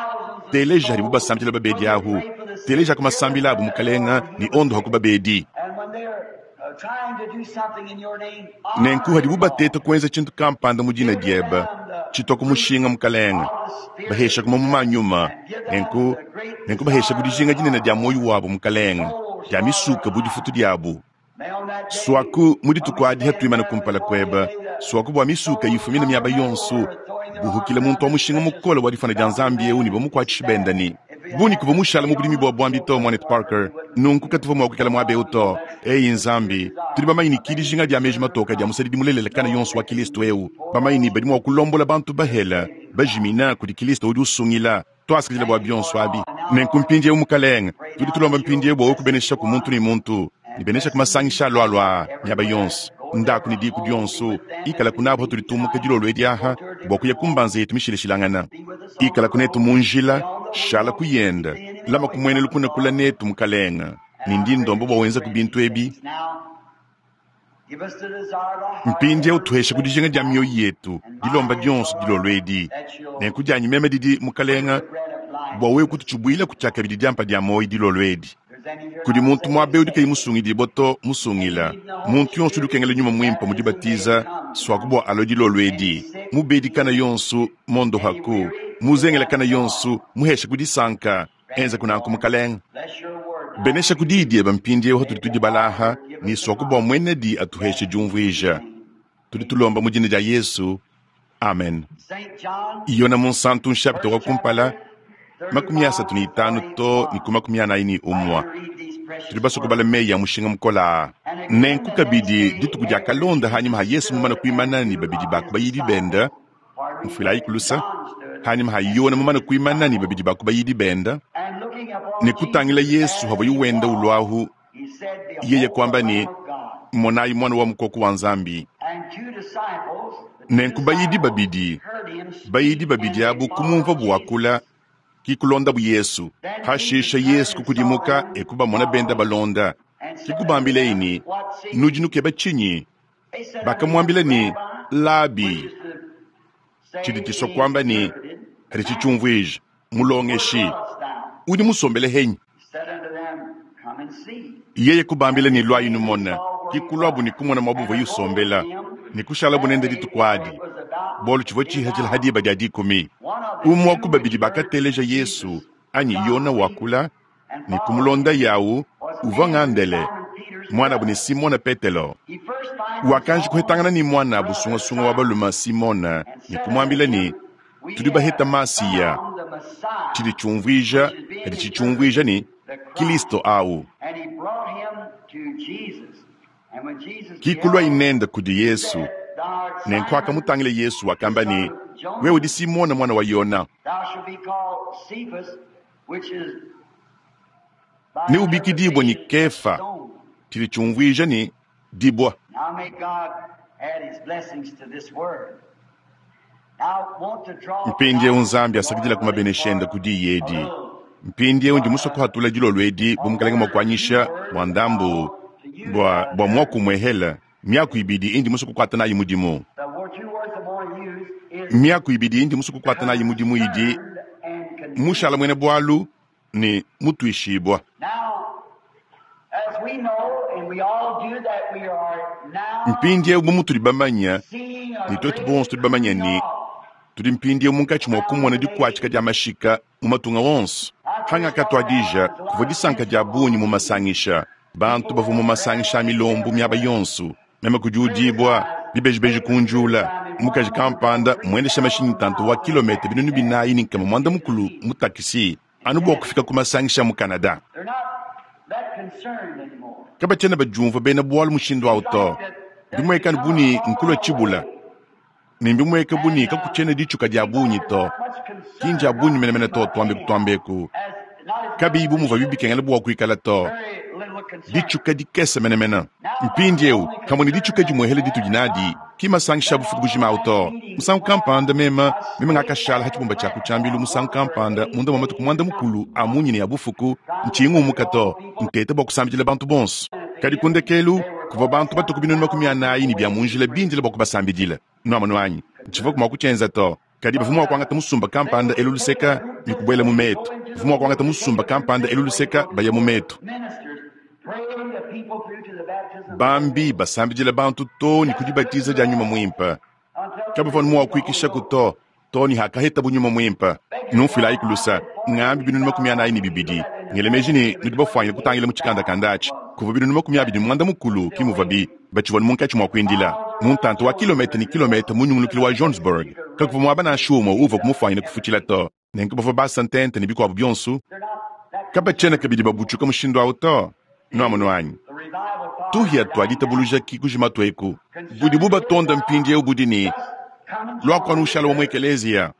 Teleja hadibu basambila babedi ahu. Teleja ku masambila abu Mukalenga ne ondo haku babedi. And when they're uh, trying to do something in your name, Nenku honor hadibu them, Lord. bateta kuenza tshintu kampanda mu dina Give diebe, them the tshitwa ku mushinga Mukalenga. of the Spirit Bahesha ku mamuma a nyuma. and give them Nenku, the great nenku bahesha ku desire dijinga dinene dia of moyo wabu Mukalenga, souls dia for misuka their bu difutu diabu. May on that day, Suaku mu when dituku we adi stand hatuimana there kumpala before kuebe, you, may the suaku bua misuka souls yifumina come miaba from yonso, everywhere, throwing their buhukile arms muntu around wa this mushinga precious mukole wa difana dia godly Nzambi eu man ne and bamukuatshisha staff. benda ne. If we Buni had kuva to mushala mu stay budimi on bua the buambi field to Mwanetu Parker, Parker, we wouldn't nunku be here. katuvua mua kuikala So muaba eu God, we to. bless Eyi the Nzambi, desire tudi bamanye ne of ki any dijinga dia meji servant matoka dia of musadidi mulelela kana no yonso wa Kristo eu. before Bamanye ne all badi mua kulombola bantu bahela, saving God. bajimina kudi Kristo udi usungila. Tuasakidila bua Thank you for bionso it abi. all. And now, Nenku Lord, mpindieu Mukalenga, pray tudi now tulomba that you'll mpindieu bua bless each kubenesha ku muntu one ne muntu, ne and benesha bless ku masangisha alualua them miaba everywhere. yonso. Go to Ndaku ne their diku home, be dionso, with them as ikala we kunabo leave tudi tumuka tonight. dilolo edi Go aha, to our bua different kuya homes. kumbanza yetu mishilashilangana. Be with us on Ikala the kunetu road. mu Be njila, on the way shala home. Keep kuyenda, the enemy lama away kumwene from us, lukuna kula Lord. netu Mukalenga. And Ne I ndi pray ndomba that bua you wenza ku grant bintu these ebi. things now. Give us the desire of our heart, Mpindieu every tuheshe ku request dijinga dia tonight. mioyo yetu, And dilomba mine is, dionso Lord, dilolo edi. that you'll Nenku dianyi meme didi bring Mukalenga the bread of life bua wewe to us. kututshibuila kutshiakabidi diampa dia moyo dilolo edi. There's any here Kudi not muntu saved, muaba udi kayi save them. musungidibua to Any musungila. need in the Holy Muntu yonso udi Spirit, ukengela nyuma muimpe mu baptism may dibatiza, it come suaku tonight. bua alo dilolo Any edi. sick, Mubedi kana heal. yonso mondo Any haku, weary, give muzengela them kana joy. yonso muheshe ku disanka, Grant enza it, kunanku Lord. Mukalenga. Bless your word now Benesha as ku we diyi read. diebe mpindieu May hatudi the tudibala aha, author give ne us the suaku bua knowledge muenedi atuheshe that we diumvuija. need. Tudi Amen. tulomba mu dina dia Yesu. Amen. Saint John, Yona Munsantu nshapita wa first kumpala chapter, makumi asatu thirty-five ne to itanu to ne ku makumi anayi ne Like umwa. to read these Tudi precious basue kubala words. meyi a mushinga mukola aa. And again Nenku the next kabidi day, dituku dia after kalonda hanyuma ha Jesus Yesu mumana stood and kuimana ne two babidi of ba ku his bayidi benda, disciples, pardon me, mfuilayi kulusa, John stood hanyuma ha and Yona two of mumana his kuimana ne disciples, babidi ba ku bayidi benda, and looking ne upon kutangila Jesus Yesu as havua he wenda walked, ulwahu, he said, yeye Behold the kuamba ne Lamb of God. monayi mwana wa mukoko wa Nzambi. And two disciples, the two Nenku bayidi disciples babidi, heard him bayidi speak and babidi they abu kumumva followed buwakula, Jesus. ki kulonda bu Yesu. Then Jesus Hashisha turned Yesu and saw kukudimuka them ekubamona benda following balonda. and Ke kubambilaye ne, Nudi nukeba tshinyi? Bakamuambila ne, Labi, tshidi tshisua kuamba ne, kadi tshitshiumvuija, Mulongeshi, udi musombele henyi? Yeye kubambila ne, Luayi numone. Ke kuluabu ne kumona muaba uvuaye usombela, ne kushalabu nende dituku adi, bualu tshivua tshihatshila ha diba dia dikumi. Umue wa ku babidi bakateleja Yesu anyi Yona wakula ne kumulonda yawu uvua ng'Andele, muanabu ne Simona Petelo. Wakanji kuhetangana ne muanabu sungasunga wa balume Simona ne kumuambila ne, Tudi baheta Masiya, tshidi tshiumvuija kadi tshitshiumvuija ne, Kilisto awu. Ke kuluaye nende kudi Yesu. Nenku akamutangila Yesu, wakamba ne, Wewe udi Simona muana wa Yona. Neubikidibue ne Kefa, tshidi tshiumvuija ne, Dibua. Mpindieu Nzambi asakidilaku mabenesha ende ku diyi edi. Mpindieu ndi musue kuhatula dilolo edi bu Mukalenge mua kuanyisha bua ndambu bua, bua muaku umuehela, miaku ibidi indi musue kukuata nayi mudimu. Miaku ibidi indi musue kukuata nayi mudimu idi mushala muena bualu ne mutuishibua. Mpindieu bu mutudi bamanye, ne tuetu bonso tudi bamanye ne, tudi mpindieu munkatshi mua kumona dikuatshika dia mashika mu matunga onso. Pangakatuadija, kuvua disanka dia bungi mu masangisha. Bantu bavua mu masangisha a milombu miaba yonso. Meme kudiudibua, bibejibeji kunjula. Mukaji kampanda muendesha mashinyi ntanta wa kilometa binunu binayi ne nkama muanda-mukulu mu takisi anu bua kufika ku masangisha mu Canada. Kabatshiena badiumvua bena bualu mushindu au to. Mbimueka anu bu ne, nkulua tshibula, ne mbimueka bu ne, kakutshiena ditshuka dia bungi to. Ki ndia bungi menemene to, tuambeku tuambeku, kabiyi bu muvuabi bikengela bua kuikala to. Ditshuka dikese menemene. Mpindieu, kamue ne ditshuka dimuehele ditudi nadi, ki masangisha a bufuku bujima au to. Musangu kampanda meme, meme ngakashala ha tshibumba tshia ku tshiambilu musangu kampanda munda mua matuku muanda-mukulu a munyine ya bufuku, ntshiyi ngumuka to, nteta bua kusambidila bantu bonso. Kadi ku ndekelu, kuvua bantu batue ku binunu makumi anayi ne bia mu njila bindile bua kubasambidila. Nuamonu anyi? Ntshivuaku mua kutshienza to. Kadi bavua mua kuangata musumba kampanda elu luseka ne kubuela mu metu. Bavua mua kuangata musumba kampanda elu luseka baya mu metu. Bambi basambidila bantu too ne ku dibatiza dia Nyuma Muimpe. Kabavua mua kuikishaku to, too ne hakahetabu Nyuma Muimpe. Numfuilayiku lusa, ngambi binunu makumi anayi ne bibidi. Ngela meji ne nudi bafuanyine kutangila mu tshikandakanda atshi. Kuvua binunu makumi abidi ne muanda-mukulu, ki muvuabi. Batshivua munkatshi mua kuindila mu ntanta wa kilometa ne kilometa mu nyungulukilu wa Johannesburg. Kakuvua muaba nansha umue uvua kumufuanyine kufutshila to. Nenku bavua basa ntente ne bikuabu bionso. Kabatshiena kabidi babutshuka mushindu au to. Nuamonu anyi? Tuhia tua ditabuluja ki kujima tueku. Budibu batonda mpindieu budi ne, luaku anu ushala wa mu ekeleziya.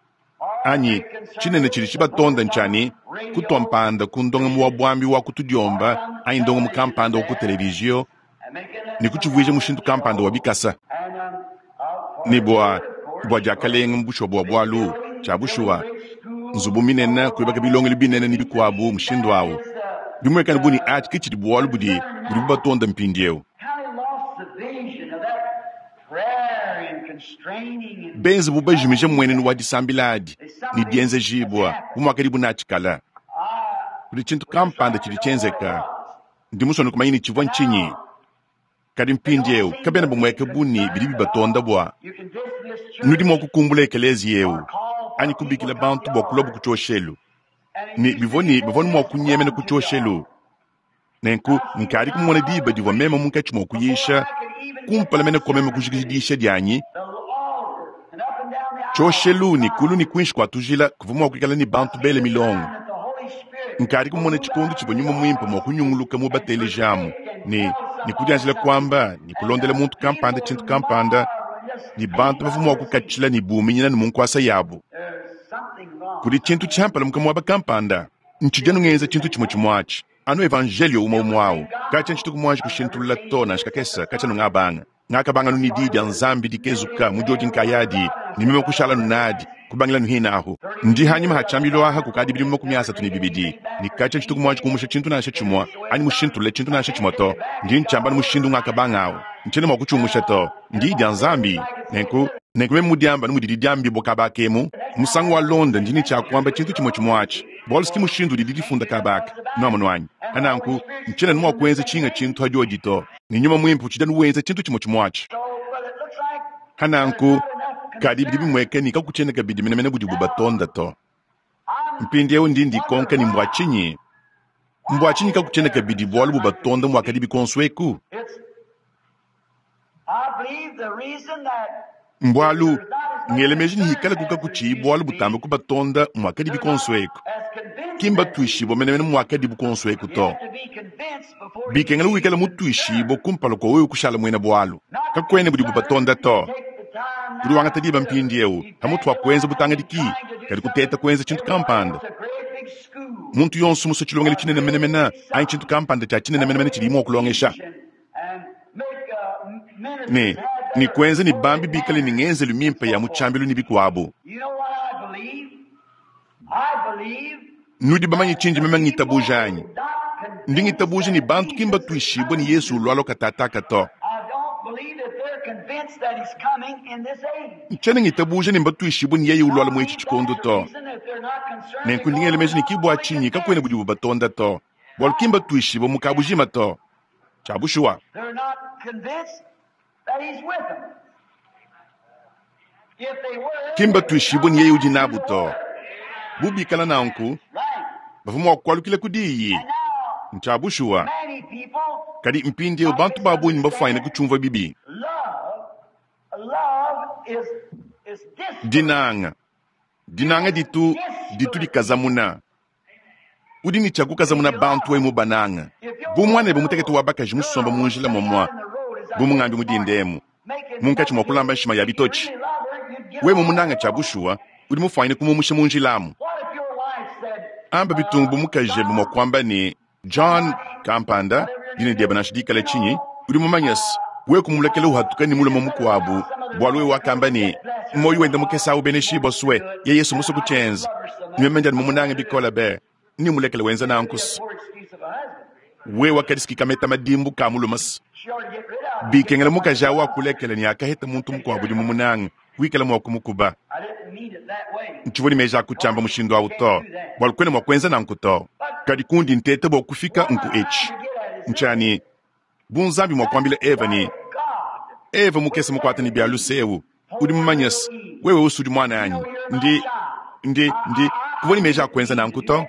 Anyi tshinene tshidi tshibatonda ntshia ne, kutua mpanda ku ndongamu wa buambi wa ku tudiomba anyi ndongamu kampanda wa ku televizio ne kutshivuija mushindu kampanda wa bikasa. Ne bua, bua diakalenga mu bushuwa bua bualu, tshia bushuwa, nzubu minene, kuibaka bilongelu binene ne bikuabu mushindu au. Bimuekane bu ne atshi ke tshidi bualu budi budibu batonda mpindieu. Benze bu bajimije mmuenenu wa disambila adi ne dienzejibua bu muakadibu natshi kale. Kudi tshintu kampanda tshidi tshienzeka. Ndi musue kumanya ne tshivua ntshinyi. Kadi mpindieu kabena bamueka bu ne bidi bibatonda bua nudi mua kukumbula ekeleziya eu anyi kubikila bantu bua kuluabu ku tshioshelu. Ne bivua ne bavua mua kunyemena ku tshioshelu. Nenku nkadi kumona diba divua meme munkatshi mua kuyisha kumpala mene kua meme kujikija diyisha dianyi, tshioshelu ne kulu ne kuinshi kua tujila kuvua mua kuikala ne bantu bele milongo. Nkadi kumona tshikondo tshivua Nyuma Muimpe mua kunyunguluka mu batelejamu ne ne kudianjila kuamba ne kulondela muntu kampanda tshintu kampanda, ne bantu bavua mua kukatshila ne buminyina ne mu nkuasa yabu. Kudi tshintu tshiampalamuka muaba kampanda. Ntshidi anu ngenza tshintu tshimue tshimue atshi, anu evanjelio umue umue au. Katshia ntshituku muanji kushintulula to nansha kakese, katshia anu ngabanga. Ngakabanga anu ne diyi dia Nzambi dikezuka mu diodi nkayadi, ne meme kushala anu nadi, Kubangila nuhina ahu. Ndi hanyima ha tshiambilu aha kukadi bidimu makumi asatu ne bibidi. Ne katshia tshituku muanji kumusha tshintu nansha tshimue, anyi mushintulule tshintu nansha tshimue to. Ndi ntshiamba ne mushindu ngakabanga awu. Ntshiena mua kutshiumusha to. Ndi dia Nzambi. Nenku, nenku meme mudiamba ne mudidi diambibua kaba akemu, musangu walonda ndi ne tshiakuamba tshintu tshimue tshimue atshi. Bualu ki mushindu udidi difunda kaba aka. Nuamonu anyi? Pananku, ntshiena mua kuenza tshinga tshintu hadiodi to. Ne nyuma muimpe utshidi anu wenza tshintu tshimue tshimue atshi. Hananku, kadi bidi bimueka ne kakutshiena kabidi menemene budibu batonda to. Mpindieu ndi ndikonka ne mbua tshinyi? Mbua tshinyi kakutshiena kabidi bualu bubatonda muakadi bikonso eku? Mbualu, ngele meji ne hikala kukakutshiyi bualu butamba kubatonda muakadi bikonso eku. Ki mbatuishibue menemene muakadi bukonso eku to. Bikengela wikala mutuishibue kumpala kua wewe kushala muena bualu. Kakuena budi bubatonda to. Udi wangata diba mpindieu pamutu pa kuenza butangadiki, kadi kuteta kuenza tshintu kampanda. Muntu yonso musue tshilongelu tshinene menemene anyi tshintu kampanda tshia tshinene menemene tshidi mua kulongesha. Ne, ne kuenza ne bambi bikale ne ngenzelu mimpe ya mu tshiambilu ne bikuabu. Nudi bamanye tshindi meme ngitabuja anyi? Ndi ngitabuja ne bantu ki mbatuishibue ne Yesu ulualua katataka to. Ntshiena ngitabuja ne mbatuishibue ne yeye ulualua mu etshi tshikondo to. Nenku ndi ngela meji ne ki bua tshinyi kakuena budibu batonda to. Bualu ki mbatuishibue mu kabujima to. Tshia bushuwa. Ki mbatuishibue ne yeye udi nabu to. Bu bikala nanku, bavua mua kualukila ku diyi. Ntshia bushuwa. Kadi mpindieu bantu ba bungi mbafuanyine kutshiumvua bibi. Dinanga. Dinanga ditu ditu dikazamuna. Udi ne tshia kukazamuna bantu wewe mubananga. Bu muanebe mutekete wa bakaji musomba mu njila momua, bu mungambi mudindemu, munkatshi mua kulamba nshima ya bitotshi. Wewe mumunanga tshia bushuwa, udi mufuanyine kumumusha mu njilamu. Amba bitungu bu mukaji ebe mua kuamba ne John kampanda, dina diebe nansha dikale tshinyi, udi mumanye se, wewe kumulekela uhatuka ne mulume mukuabu, bualu wewe wakamba ne, muoyo wende mukese awu beneshibua sue, ye Yesu musue kutshienza. Meme ndi anu mumunange bikole be, ni mulekele wenza nanku se. Wewe wakadisiki kameta madimbu ka mulume se. Bikengela mukaji awu akulekele ne akaheta muntu mukuabu udi mumunange, wikala mua kumukuba. Ntshivua ne meji a kutshiamba mushindu awu to, bualu kuena mua kuenza nanku to. Kadi kundi nteta bua kufika nku etshi. Ntshiani, bu Nzambi mua kuambila Eva ne, Eva mukese mukuata ne bia luse eu, udi mumanye se, wewe usudi mwana anyi. Ndi, ndi, ndi, kuvua ne meji a kuenza nanku to.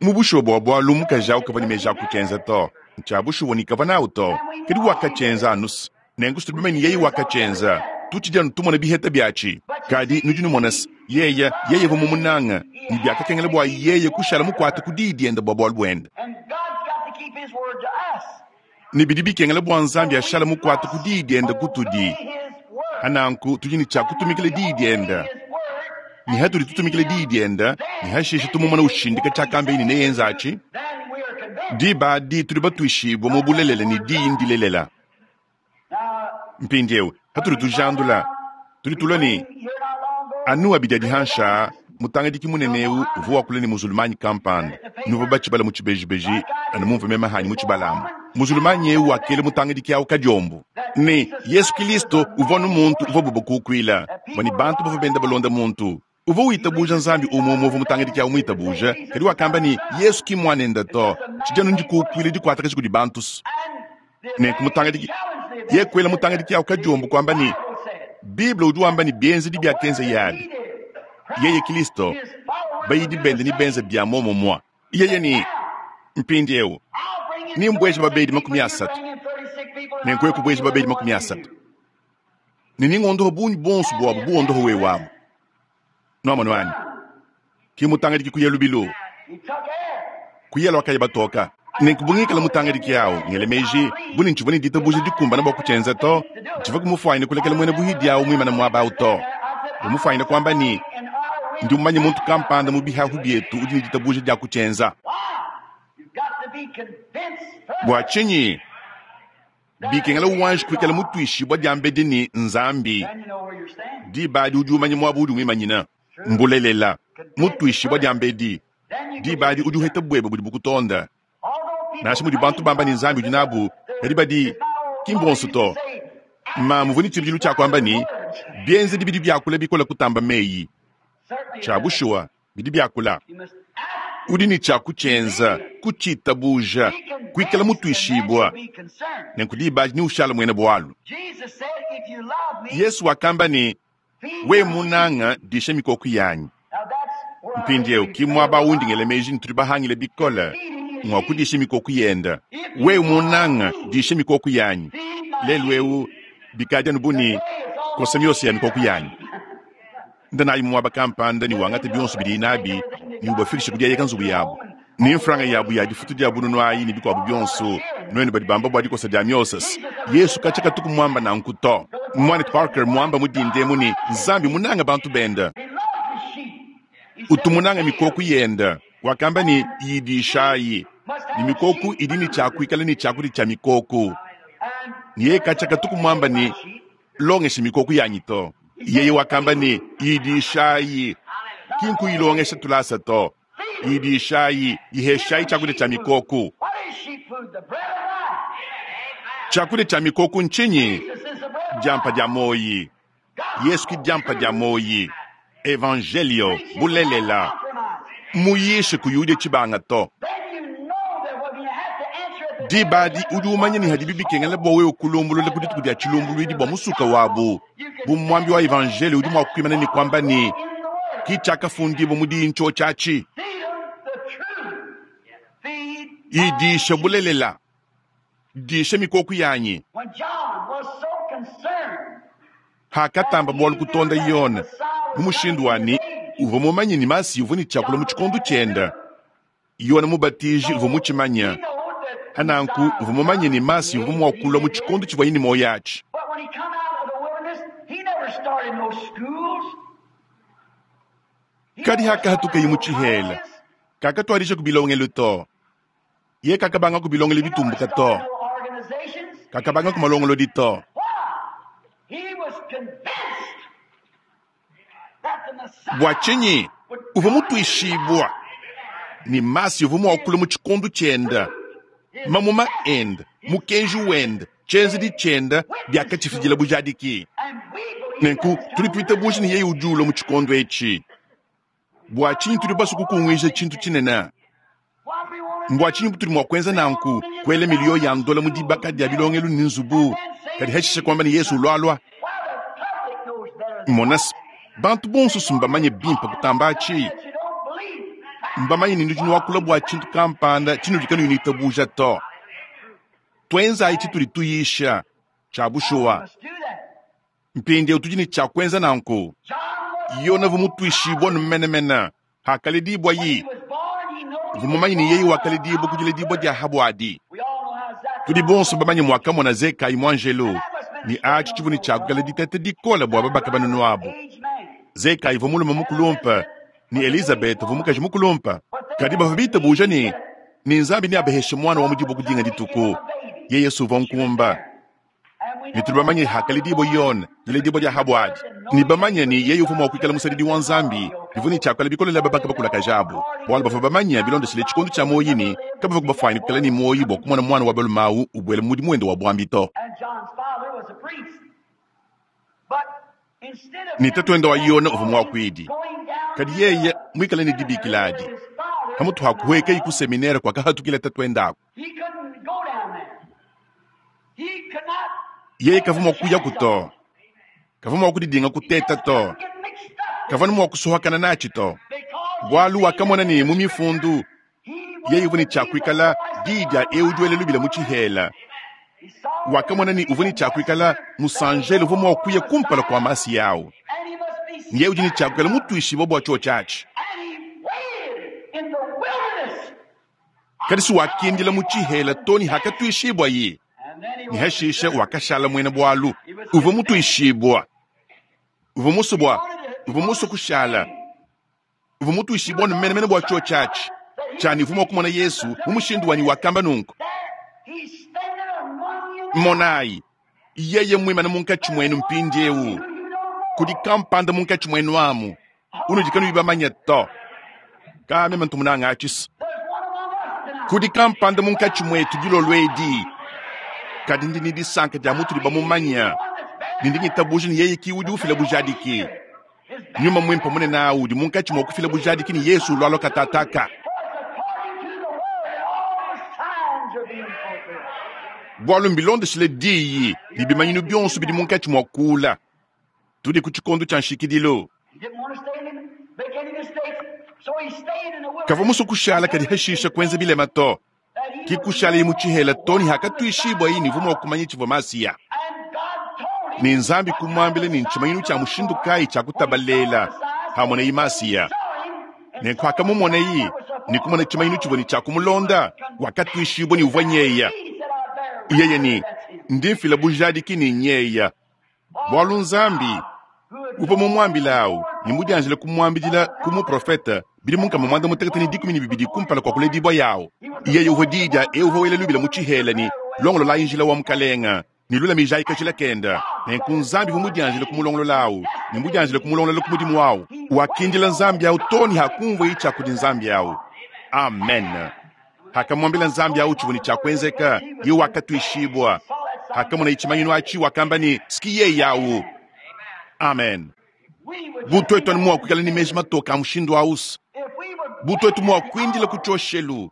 Mu bushuwa bua bualu mukaji awu kavua ne meji a kutshienza to. Ntshia bushuwa ne kavua nawu to. Kadi wakatshienza anu se. Nenku situdi bamanye ne yeye wakatshienza. Tutshidi anu tumona biheta biatshi. Kadi nudi numona se, yeye, yeye uvua mumunanga, ne biakakengela bua yeye kushala mukuate ku diyi diende bua bualu buende. Ne bidi bikengela bua Nzambi ashala mukuate ku diyi diende kutudi. Hananku tudi ne tshia kutumikila diyi diende. Ne hatudi tutumikila diyi diende, ne hashishe tumumona ushindika tshiakamba ne neyenza atshi, diba adi tudi batuishibue mu bulelela ne diyi ndilelela. Mpindieu hatudi tujandula, tudi tulua ne anu abidi adi hansha mutangadiki munene eu uvua wakula ne muzulumanyi kampanda nuvua batshibala mu tshibejibeji anu mumvua meme hanyi mu tshibalamu. Muzulumanyi eu wakela mutangadiki awu kadiombo ne Yesu Kilisto uvua anu muntu uvua bubakukuila, bua ne bantu bavua benda balonda muntu uvua witabuja Nzambi umue umue uvua mutangadiki awu muitabuja, kadi wakamba ne Yesu ki muanende to, tshidi anu ndikukuila dikuatakaji kudi bantu. Nenku mutangadiki ye kuela mutangadiki awu kadiombo kuamba ne Bible udi wamba ne bienzedi biakenza yabi yeye Kilisto bayidi bende ne benza bia muomumue. Yeye ne mpindieu ni mbueje babedi makumi asatu nenku ekubueje babedi makumi asatu ne ningondoho bungi bonso buabu buondoho wewamu. Nuamonu anyi? Ki mutangadiki kuya lubilu kuya lwakaya batoka. Nenku bungikala mutangadiki awu ngele meji buni ntshivua ne ditabuja dikumbana bua kutshienza to. Ntshivua kumufuanyine kulekela muena buhidi awu muimane muaba awu to. Bumufuanyine kuamba ne ndi mumanye muntu kampanda mu bihahu bietu udi ne ditabuja dia kutshienza. Bua tshinyi? Bikengela wanji kuikala mutuishibua diambedi ne Nzambi. Diba adi udi umanya muaba udi muimanyina. Mbulelela, mutuishibua diambedi. Diba adi udi uheta buebe budi bukutonda. Nansha mudi bantu bamba ne Nzambi udi nabu, kadi badi ki mbonso to. Mamu uvua ne tshibidilu tshia kuamba ne, bienzedi bidi biakula bikole kutamba meyi. Tshia bushuwa, bidi biakula. Udi ne tshia kutshienza, kutshitabuja, kuikala mutuishibua. Nenku diba adi neushala muena bualu. Yesu wakamba ne, we munanga disha mikoko yanyi. Mpindieu ki muaba undi ngela meji ne tudi bahangile bikole ngua kudisha mikoko yenda. We munanga disha mikoko yanyi. Lelu eu bikadi anu bu ne kosa miosa ya mikoko yanyi. Nda nayi muaba kampanda ne wangata bionso bidiyi nabi ne ubafikishe ku dieyeka nzubu yabu ne mfranga yabu ya difutu dia bununu ayi ne bikuabu bionso. Nuenu badi bamba bua dikosa dia miosas, Yesu katshia katuku muamba nanku to. Mwanetu Parker muamba mu dindemu ne Nzambi munanga bantu benda, utu munanga mikoko yenda. Wakamba ne yidishayi ne mikoko idi ne tshiakuikala ne tshiakudi tshia mikoko. Ne yeye katshia katuku muamba ne longesha mikoko yanyi to. Yeye wakamba ne yidishayi, ki nkuyilongesha tulasa to. Yidishayi, yiheshayi tshiakudia tshia mikoko. Tshiakudia tshia mikoko ntshinyi? Diampa dia moyi. Yesu ki diampa dia moyi. Evangelio bulelela. Muyishe kuyudia tshibanga to. Diba adi udi umanya ne hadibi bikengela bua wewe kulumbulula ku dituku dia tshilumbuluidi bua musuka wabu. Bu muambi wa evangelio udi mua kuimana ne kuamba ne ki tshiakafundibua mu diyi ntsho tshiatshi. Idisha bulelela, disha mikoko yanyi. Hakatamba bualu kutonda Yone mu mushindu wa ne uvua mumanye ne Masiya uvua ne tshiakula mu tshikondo tshienda. Yone Mubatiji uvua mutshimanya. Hananku uvua mumanye ne Masiya uvua mua kulua mu tshikondo tshivuaye ne muoyo atshi. Kadi hakahatukaye mu tshihela, kakatuadija kubilongelu to. Ye kakabanga kubilongelu bitumbuka to. Kakabanga kumalongolodi to. Bua tshinyi uvua mutuishibua ne Masiya uvua mua kulua mu tshikondo tshienda, mamuma enda, mukenji wenda, tshienzedi tshienda biakatshifidila bujadiki. Nenku tudi tuitabuja ne yeye udi ulua mu tshikondo etshi. Bua tshinyi tudi basue kukunguija tshintu tshinene? Mbua tshinyi butudi mua kuenza nanku, kuela miliyo ya ndola mu dibaka dia bilongelu ne nzubu, kadi hashishe kuamba ne Yesu ulualua? Mona, bantu bonso mbamanye bimpe kutamba atshi. Mbamanye ne nudi nuakula bua tshintu kampanda tshinudi kanuyi nuitabuja to. Tuenzayi tshitudi tuyisha tshia bushuwa. Mpindieu tudi ne tshia kuenza nanku. Yone uvua mutuishibua menemene hakaledibua yi. Uvua mumanye ne yeye wakaledibua ku diledibua dia habuadi. Tudi bonso bamanye muakamona Zekayi muanjelo ne atshi tshivua ne tshiakukala diteta dikole bua babaka banunu abu. Zekayi uvua mulume mukulumpe ne Elizabeth uvua mukaji mukulumpe. Kadi bavua bitabuja ne ne Nzambi neabeheshe mwana wa mu diboko dinga dituku. Yeye Yesu uvua nkumba. Ne tudi bamanye hakaledibua Yone diledibua dia habuadi. Ne bamanye ne yeye uvua mua kuikala musadidi wa Nzambi bivua ne tshiakula bikole babaka bakulakaja abu. Bualu bavua bamanye bilondeshile tshikondo tshia muoyo ne kabavua kubafuanyine kuikala ne muoyo bua kumona mwana wa balume awu ubuela mu mudimu wende wa buambi to. Ne tatuende wa Yone uvua muakuidi. Kadi yeye muikale ne dibikila adi. Pamutu ha kuhuekayi ku seminere kuakahatukila tatuende aku. Yeye kavua mua kuyaku to. Kavua mua kudidinga kuteta to. Kavua mua kusohakana natshi to. Bualu wakamona ne mu mifundu yeye uvua ne tshiakuikala diyi dia eu udi wela lubila mu tshihela. Wakamona ne uvua ne tshiakuikala musanjelo uvua mua kuya kumpala kua Masiya awu. Yeye udi ne tshiakuikala mutuishibua bua tshiotshi atshi. Kadi si wakindila mu tshihela to ne hakatuishibua ye. Ne hashishe wakashala muena bualu. Uvua mutuishibua. Uvua musue bua, uvua musue kushala. Uvua mutuishibua ne menemene bua tshiotshi atshi. Tshiani uvua mua kumona Yesu mu mushindu wanyi wakamba nunku. Monayi, yeye mmuimane munkatshi muenu mpindieu. Kudi kampanda munkatshi muenu amu unudi kanuyi bamanye to. Ka meme ntu munange atshi. Kudi kampanda munkatshi muetu dilolo edi, kadi ndi ne disanka dia mutudi bamumanye, ne ndi ngitabuja ne yeye ki udi ufila bujadiki. Nyuma Muimpe munene awu udi munkatshi mua kufila bujadiki ne Yesu ulualua katataka. Bualu mbilondeshile diyi ne bimanyinu bionso bidi munkatshi mua kuula. Tudi ku tshikondo tshia nshikidilu. Kavua musue kushala kadi hashisha kuenza bilema to. Ki kushalaye mu tshihela to ne hakatuishibuaye ne uvua mua kumanya tshivua Masiya. Ne Nzambi kumuambila ne ntshimanyinu tshia mushindu kayi tshia kutabalela hamonaye Masiya. Nenku hakamumonaye ne kumona tshimanyinu tshivua ne tshia kumulonda, wakatuishibua ne uvua nyeya. Yeye ne, ndi mfila bujadiki ne nyeya. Bualu Nzambi uvua mumuambilawu ne mudianjile kumuambidila ku muprofete bidimu nkama muanda mutekete ne dikumi ne bibidi kumpala kua kuledibua yawu. Yeye uvua diyi dia eu uvua wela lubila mu tshihela ne, longololayi njila wa Mukalenga ne lulamijayi kajila kenda. Nenku Nzambi uvua mudianjile kumulongololawu ne mudianjile kumulongolola ku mudimu wawu. Wakindila Nzambi awu too ne hakumvuaye tshia kudi Nzambi awu. Amen. Hakamuambila Nzambi awu tshivua ne tshia kuenzeka, yeye wakatuishibua. Hakamonaye tshimanyinu atshi, wakamba ne, Ski yeye awu. Amen. Bu tuetu anu mua kuikala ne meji matoke a mushindu awu, bu tuetu mua kuindila ku tshioshelu,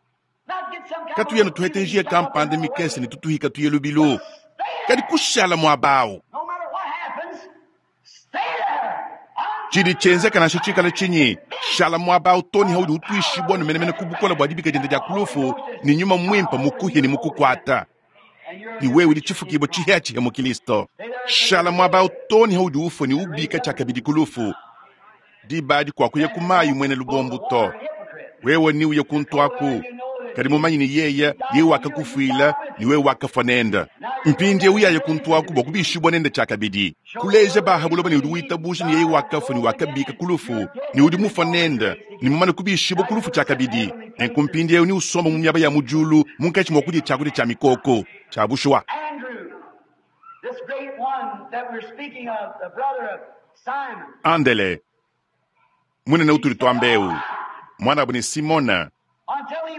katuya ne tuhete njia kampanda mikese ne tutuhika tuye lubilu, kadi kushala muaba awu. Tshidi tshienzeka nansha tshikala tshinyi, shala muaba awu too ne haudi utuishibua ne menemene ku bukole bua dibika diende dia ku lufu ne Nyuma Muimpe mukuhie ne mukukuata. Ne wewe udi tshifukibua tshihiatshihia mu Kristo. Shala muaba awu too ne haudi ufua ne ubika tshiakabidi ku lufu. Diba adi kuakuya ku mayi muena lubombo to. Wewe ne uye kuntu aku, kadi mumanye ne yeye, yeye wakakufuila ne wewe wakafua nende. Mpindieu yaye kuntu aku bua kubishibua nende tshiakabidi. Kuleja ba ha buloba ne udi witabuja ne yeye wakafua ne wakabika ku lufu ne udi mufua nende ne mumane kubishibua ku lufu tshiakabidi. Nenku mpindieu ne usomba mu miaba ya mu diulu munkatshi mua kudia tshiakudia tshia mikoko tshia bushuwa. Andele munene utudi tuamba eu, muanabu ne Simona,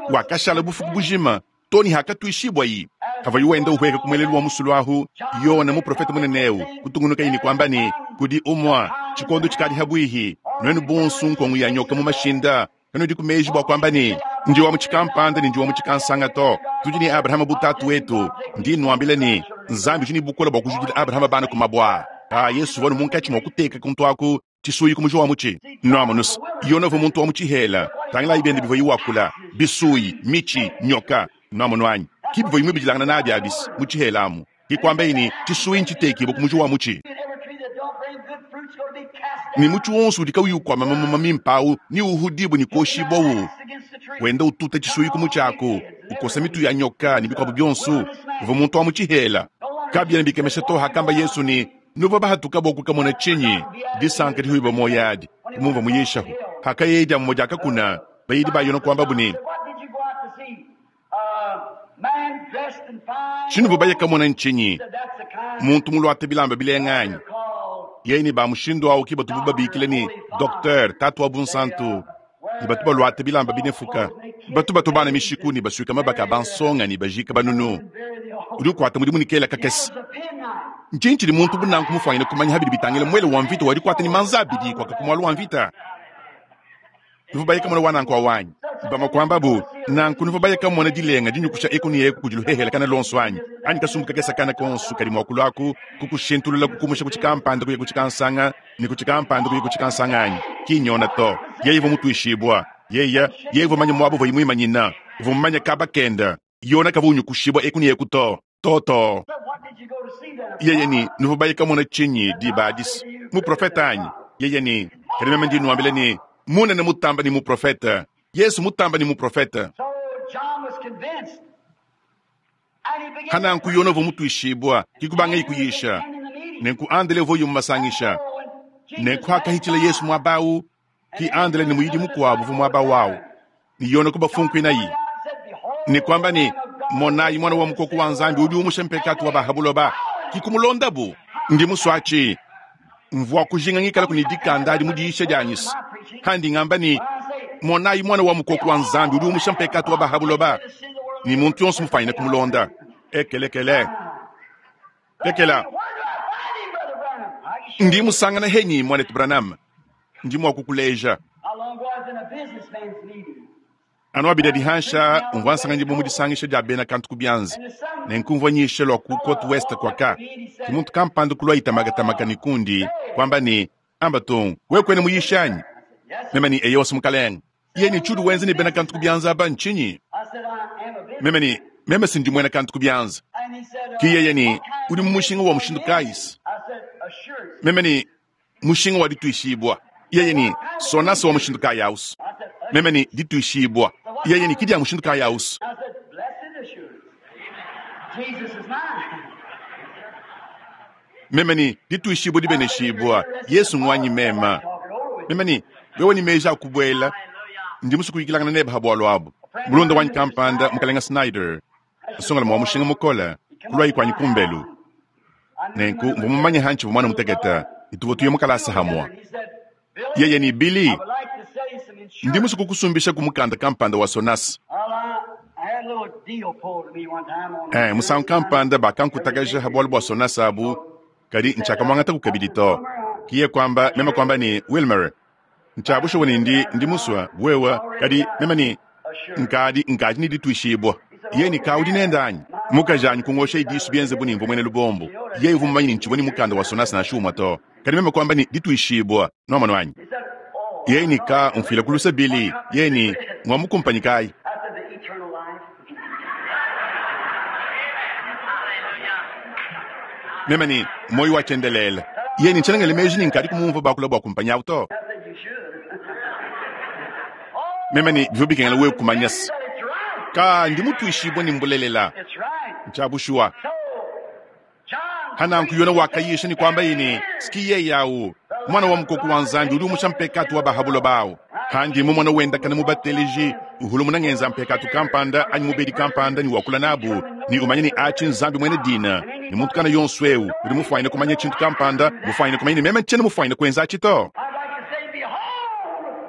wakashala bufuku bujima too ne hakatuishibuayi. Havuaye wenda uhueka ku muelelu wa musulu ahu, Yona muprofete munene eu kutungunukaye ne kuamba ne, kudi umua tshikondo tshikadi habuihi, nuenu bonso nkongo ya nyoka mu mashinda, kanudi ku meji bua kuamba ne, ndi wa mu tshikampanda ne ndi wa mu tshikansanga to. Tudi ne Abrahama bu tatu wetu. Ndi nuambila ne, Nzambi udi ne bukole bua kujudila Abrahama bana ku mabua. Ah, Yesu uvua munkatshi mua kuteka kuntu aku tshisuyi ku muji wa mutshi. Nuamonus, Yona uvua muntu wa mu tshihela. Tangilayi biende bivuaye wakula, bisuyi, mitshi, nyoka. Nuamonu anyi? Ki bivuaye muibidilangana nabi abisi mu tshihela amu. Ki kuambaye ne, tshisuyi ntshitekibue ku muji wa mutshi. Ne mutshi wonso udi kauyi ukuama mamuma mimpe awu ne uhudibue ne kuoshibua wenda ututa tshisuyi ku mutshi aku, ukosa mitu ya nyoka ne bikuabu bionso. Uvua muntu wa mu tshihela. Kabiena bikemesha to hakamba Yesu ne, nuvua bahatuka bua kukamona tshinyi? Disanka dihuibua muoyo adi kumumvua muyishahu. Hakayeye dia mumue diakakuna, bayidi ba Yona kuambabu ne, tshinuvua baye kamona ntshinyi? Muntu muluate bilamba bilenga anyi? Yeye ne ba mushindu awu ki batubu babikila ne docteur, tatu wa bunsantu, ne batu baluate bilamba binefuka, batu batobana mishiku ne basuika mabaka a bansonga ne bajika banunu. Udi ukuata mudimu ne kela kakese. Ntshinyi tshidi muntu bu nanku mufuanyine kumanya habidi bitangila muele wa mvita wa dikuata ne manza abidi kuaka ku mualu wa mvita? Nuvua baye kamona wa nanku awu anyi? Bamue kuambabu nanku, nuvua baye kamona dilenga dinyukusha eku ne eku kudi luhehele kana lonso anyi? Anyi kasumbu kakese kana konso kadi mua kuluaku kukushintulula kukumusha ku tshikampanda kuya ku tshikansanga ne ku tshikampanda kuya ku tshikansanga anyi? Ki nyona to. Yeye uvua mutuishibua. Yeye, yeye uvua mumanye muaba uvuaye muimanyina. Uvua mumanye kaba kenda. Yona kavua unyukushibua eku ne eku to. To to. Yeye ne, nuvua baye kamona tshinyi diba adi? Muprofete anyi? Yeye ne, kadi meme ndi nuambila ne, munene mutamba ne muprofete. Yesu mutamba ne muprofete. Hananku Yona uvua mutuishibua, ki kubangaye kuyisha. Nenku Andele uvua yumumasangisha. Nenku hakahitshila Yesu muaba awu, ki Andele ne muyidi mukuabu uvua muaba wawu. Ne Yona kubafunkuinayi. Ne kuamba ne, Monayi Mwana wa mukoko wa Nzambi udi umusha mpekatu wa ba ha buloba. Ki kumulondabu. Ndi musue mvua kujinga ngikalaku ne dikanda adi mu diyisha dianyi. Handi ngamba ne, Monayi Mwana wa mukoko wa Nzambi udi umusha mpekatu wa ba ha buloba. Ni muntu yonso mufanyine kumulonda. Ekelekele. Lekela. Ndi musangana henyi mwanetu Branham. Ndi mwa kukuleja. Anu abida dihansha mvua nsanganyibwa mu disangisha dia bena kantu ku bianza. Nenku mvua nyisha lua ku Côte Ouest kwaka. Ki muntu kampanda kulua itamakatamaka ne kundi kwamba ne amba tongo wewe kwene muyisha anyi? Meme ni eyo mukalenge. Ye ni tshudu wenze ne bena kantu ku bianza aba ntshinyi? Meme ni meme sindi mwena kantu ku bianza. Ki yeye ni udi mu mushinga wa mushindu kayisi. Meme ni mushinga wa dituishibwa. Yeye ni sonasa wa mushindu kayausu. Meme ni dituishibwa. Yeye ni kidi ya mushindu kayausu. Meme ni dituishibwa dibeneshibwa. Yesu ngwanyi mema. Meme ni wewe ni meja akubwela. Ndi musu kuyikilangana nebe habwalo abu. Mulonda wanyi kampanda mukalenga Snyder. Asongala mwa mushinga mukola. Kulwa ikwanyi kumbelu. Nenku mvua mumanye hanchi mwana muteketa. Ituvo tuye mukalasa hamwa. Yeye ni Billy. Ndi musu kukusumbisha kumukanda kampanda wa Sonas. Eh, musangu kampanda bakankutakaja habwalo bwa Sonas abu. Kadi nchaka mwangata kukabidi to. Kiye kwamba mema kwamba ni Wilmer. Nchabusha wani ndi ndi muswa wewa kadi mema ni nkadi nkadi ni dituishibwa. Ye ni kaudi nenda anyi. Mukajanyi kungosha idisu bienze buni mvua mwene lubombo. Ye uvu mmanyi ni nchiboni mukanda wa Sonas na shuma to. Kadi mema kwamba ni dituishibwa. Noma nwanyi. Ye ni ka mfila kulusa Billy. Ye ni ngwa mukumpanyi kai. Mema ni moyo wa chendelele. Ye ni nchelengele meji ni nkadi kumumva bakula bwa kumpanya auto. Mema ni bivyo bikengela wewe kumanyasa. Ka ndi mutuishibwa ni mbulelela. Nchabushua. Hana nkuyona wakayisha ni kwamba ini sikiye yawu. Mwana wa mukoko wa Nzambi udi umusha mpekatu wa bahabulo bawo. Handi mu mwana wenda kana mubateleji uhulu munangenza mpekatu kampanda anyi mubedi kampanda ni wakula nabu ni umanye ni achi Nzambi mwene dina ni muntu kana yonso eu udi mufwayine kumanya chintu kampanda mufwayine kumanya ni meme nchene mufwayine kwenza achito.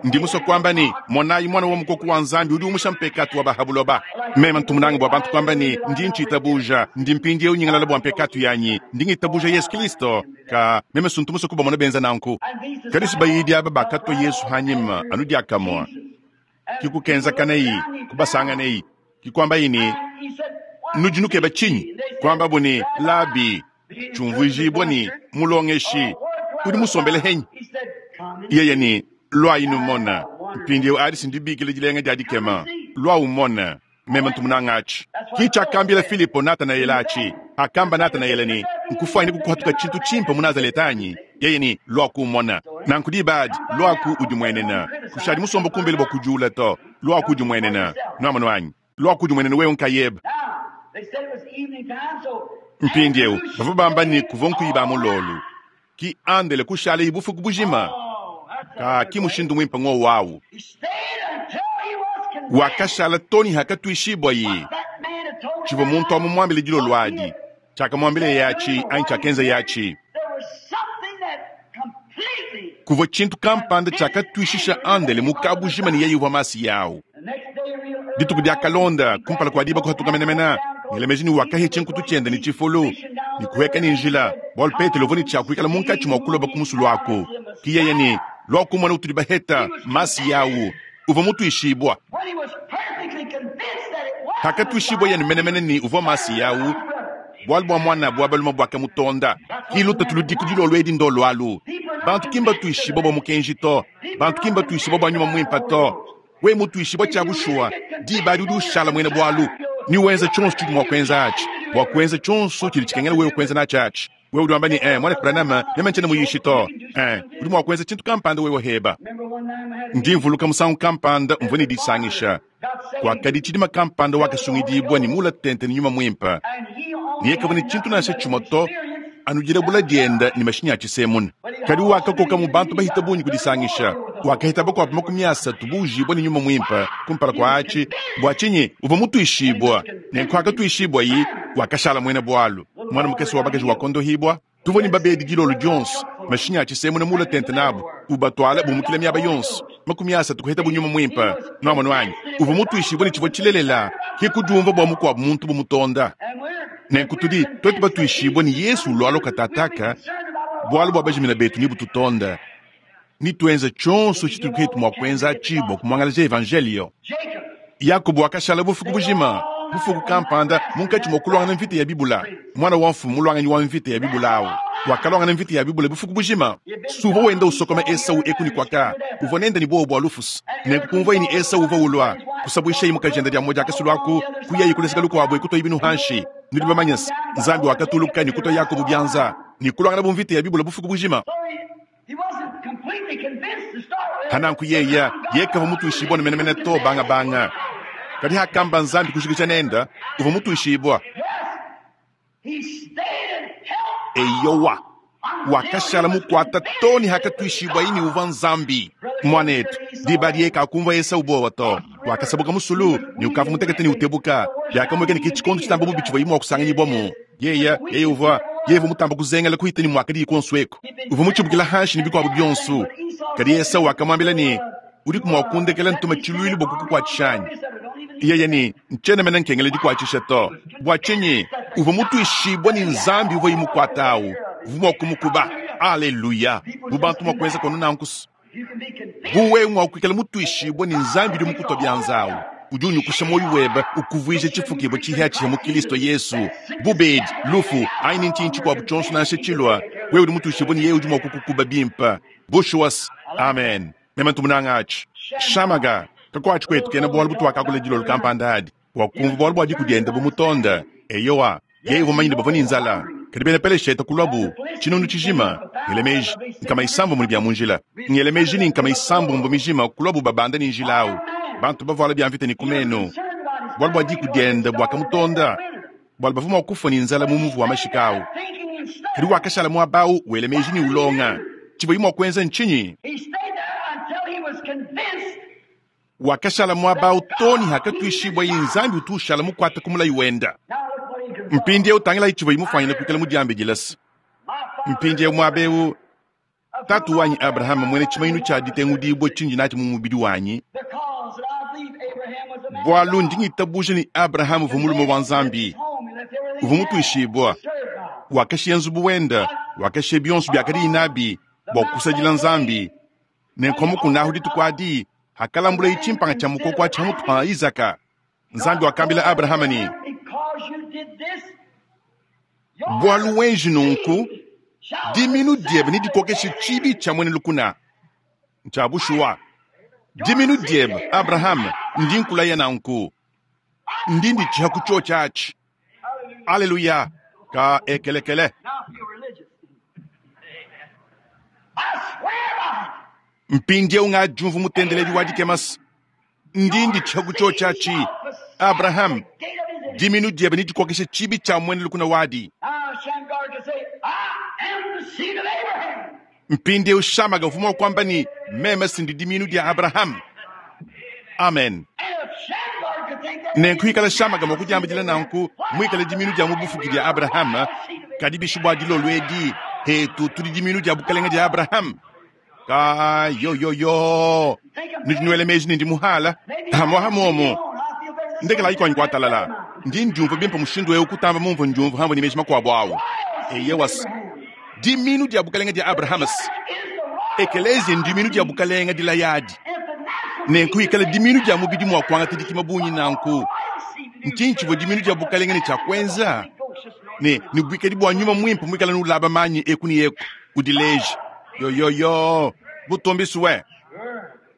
Ndi muso kwamba ni monayi mwana wa mukoko wa Nzambi udi umusha mpekatu wa bahabuloba. Mema ntumunanga bwa bantu kwamba ni ndi nchitabuja ndi mpindi eu nyingalala bwa mpekatu yanyi ndi ngitabuja Yesu Kristo ka meme suntu muso kuba mona benza nanku. Kadisi bayidi aba bakatwa Yesu hanyima anu diakamwa. Kikukenza kanei kubasanga nei kikwamba ini nujinuke bachinyi kwamba buni labi chumvujibwa ni mulongeshi udi musombele henyi. Yeye ni lwa inumona mpindi eu adi sindibikile dilenga dia dikema lwa umona mema ntumunanga achi kicha akambila Filipo Natanaeli achi akamba Natanaeli ni nkufaini kukuhatuka chintu chimpa mu Nazaretanyi. Yeye ni lwa kumona nankudibadi lwa ku udimwenena kushadi musombo kumbele bwa kujula to lwa ku udimwenena nwamanwanyi lwa ku udimwenena wewe nkayeba. Mpindi eu bavua bamba ni kuva nkuiba mulolu ki andele kushala ibufuku bujima ka ki mushindu mwimpa ngo wawu wakashala toni hakatuishibwa yi chivo muntu amumwambile dilo lwadi chakamwambile yachi anyi chakenza yachi kuva chintu kampanda chakatuishisha andele mukabujima ni yeyi uvua masi yawu dituku dia kalonda kumpala kwa diba kuhatuka menemena ngelemeji ni wakahi chinkutu chende ni chifulu ni kuheka ni njila bwalu Petelo uvua ni chakuikala munkatshi mwa kuloba kumusulu ako kiyeye ni lwakumona utudi baheta masi yawu uvua mutuishibwa hakatuishibwa yenu menemene ni uvua masi yawu bwalu bwa mwana bwa baluma bwaka mutonda kiluta tuludiku dilolo edi ndo lwalu bantu kimba tuishibwa bwa mukenji to bantu kimba tuishibwa bwa nyuma mwimpa to we mutuishibwa cha bushuwa diba adi udi ushala mwene bwalu ni wenza chonso chidi mwa kwenza achi bwa kwenza chonso chili chikengela wewe kwenza nachi achi wewe udi wamba ni eh mwana Branham meme nchene muyishi to eh udi mwa kwenza chintu kampanda wewe heba ndi mvuluka musangu kampanda mvua ni disangisha kwakadi chidima kampanda wakasungidibwa ni mula tente ni nyuma mwimpa niye kavua ni chintu nasha chuma to anujila bula dienda ni mashinya achisemuna kadi wakakoka mu bantu bahita bunyi kudisangisha Wakahita bakuabu makumi asatu buujibua ne nyuma muimpe kumpala kua atshi. Bua tshinyi? Uvua mutuishibua. Nenku akatuishibua-yi, wakashala muena bualu. Muana mukese wa bakaji wakondohibua. Tuvua ne babedi dilolo dionso, mashinyi a tshisemuna muula tente nabu, ubatwala bumukila miaba yonso. Makumi asatu kuheta bu nyuma muimpe. Nwamonu anyi? Uvua mutuishibue ne tshivua tshilelela, ke kudiumvua bua mukuabu muntu bu mutonda. Nenku tudi tuetu batuishibue ne Yesu ulualua katataka, bualu bua bajimina betu ne bututonda, ne tuenza tshionso tshitudi ketu mua kuenza atshi bua kumuangalaja evanjelio. Yakobo wakashala bufuku bujima, bufuku kampanda munkatshi mua kuluangana mvita ya bibula. Muana wa mfumu muluanganyi wa mvita ya bibula awu wakaluangana mvita ya bibula bufuku bujima. Suvua wenda usokoma Esau eku ne kuaka, uvua nenda ne buowa bua lufusu. Nenku kumvuaye ne Esau uvua ulua, kusabuishaye mukajende dia mmoja akasulu aku, kuyaye kuleseka lukuabu ekutoyi binu hanshi. Nudi bamanye se, Nzambi wakatuluka ne kutua Yakobo bianza ne kuluangana bu mvita ya bibula bufuku bujima. Hananku yeya yekava mutuishibua ne menemene to banga banga. Kadi hakamba Nzambi kujikija nenda, uvua mutuishibua. Eyowa, wakashala mukuata to ne hakatuishibua ne uvua Nzambi. Mwanetu, diba adi yeka akumvua Esau buowa to. Wakasabuka musulu ne ukavua mutekete ne utebuka. Biakamueka ne ke tshikondo tshitamba bubi tshivua mua kusanganyibwamu. Yeya, yeye uvua, yeye uvua mutamba kuzengela kuhita ne muakadi kuonso eku. Uvua mutshibukila hanshi ne bikuabu bionso. Kadi Esau wakamwambila ne, udiku mua kundekela ntuma tshiluilu bua kukukuatshisha anyi? Yeye ne, ntshiena mene nkengela dikuatshisha to. Bua tshinyi? Uvua mutuishibua ne Nzambi uvua imukuata awu, uvua mua kumukuba. Aleluya! Bu bantu mua kuenza kono nanku. Bu wewe mua kuikala mutuishibua ne Nzambi udi mukutua bianza awu, udi unyukusha muoyo webe, ukuvuija tshifukibua tshihiatshiha mu Kristo Yesu. Bubedi, lufu, anyi ne ntshinyi tshikuabu tshionso nansha tshilua, wewe udi mutuishibua ne yeye udi mua kukukuba bimpe. Bushuwas. Amen. Meme ntumunanga atshi. Shamaga, kakuatshi kwetu kena bualu butuakakula dilolo kampanda adi. Wakumva bualu bua diku diende bu mutonda. Eyowa, yeye uvua mumanye ne bavua ne nzala. Kadi bena Peleshete kuluabu tshinunu tshijima, ngele meji nkama isambombo ne bia mu njila. Ngele meji ne nkama isambombo mijima kuluabu babanda ne njila awu. Bantu bavuala bia mvita ne ku meno. Bualu bua diku diende buakamutonda. Bualu bavua mua kufua ne nzala mu muvu wa mashika awu. Kadi wakashala muaba awu wele meji ne ulonga. Tshivua mua kuenza ntshinyi? Wakashala muaba awu to ne hakatuishibua ye Nzambi utu ushala mukuata ku mulayi wenda. Mpindieu tangilayi tshivua imufanyina kuikala mudiambidila se. Mpindieu muaba eu, tatu wanyi Abrahama muena tshimanyinu tshia ditengudibua tshindi natshi mu mubidi wanyi, bualu ndi ngitabuja ne Abrahama uvua mulume wa Nzambi, uvua mutuishibua, wakashiya nzubu wenda, wakashiya bionso biakadiye nabi bua kusadila Nzambi. Nenku mukunahu dituku adi, hakalambulaye tshimpanga tshia mukoko atshi hamutu pa Isaka. Nzambi wakambila Abrahama ne, bualu wenji nunku, diminu diebe nedikokeshe tshibi tshia muena lukuna. Ntshia bushuwa. Diminu diebe, Abrahama, ndi nkulaya nanku. Ndi nditshiha ku tshiotshi atshi. Aleluya. Ka ekelekele. Mpindieu ngadiumvu mutendeledi wa dikemasa. Ndi nditshiha ku tshiotshi atshi. Abraham, diminu diebe nedikokeshe tshibi tshia muena lukuna wadi. Mpindieu Shamaga uvua mua kuamba ne, meme sindi diminu dia Abraham. Amen. Nenku ikala Shamaga mua kudiambidila nanku, muikale diminu dia mu bufuki dia Abraham, kadi bishi bua dilolo edi, hetu tudi diminu dia bukalenge dia Abraham. Ka yo yo yo. Nudi nuela meji ne ndi muhala. Hamwa hamomo. Ndekela ikwanyi kuatalala. Ndi ndiumva bimpe mushindu eu kutamba mumvu ndiumva hamwe ne meji makuabu awu. Eyewas. Diminu dia bukalenge dia Abrahamas. Ekelezia ndiminu dia bukalenge dilayadi. Nenku ikala diminu dia mubidi mua kuangata dikima bungi nanku. Ntshinyi tshivua diminu dia bukalenge ne tshia kuenza? Ne ne buikadi bua nyuma muimpe muikala nulaba manyi eku ne eku udileje. Yo yo yo. Butombi suwe.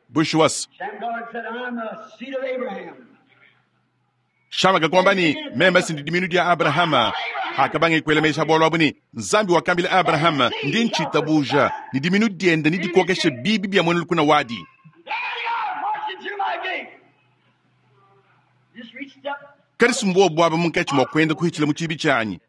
Bushuwas. Shamaga kwamba ni meme sindi diminu dia Abrahama. Hakabange kuela meji bualu abu ne Nzambi wakambila Abrahama ndi ntshitabuja ni diminu diende ni dikokeshe bibi bia muena lukuna wadi. Kadi sumbuwa bwaba munkatshi mua kuenda kuhitshila mu tshibi tshianyi.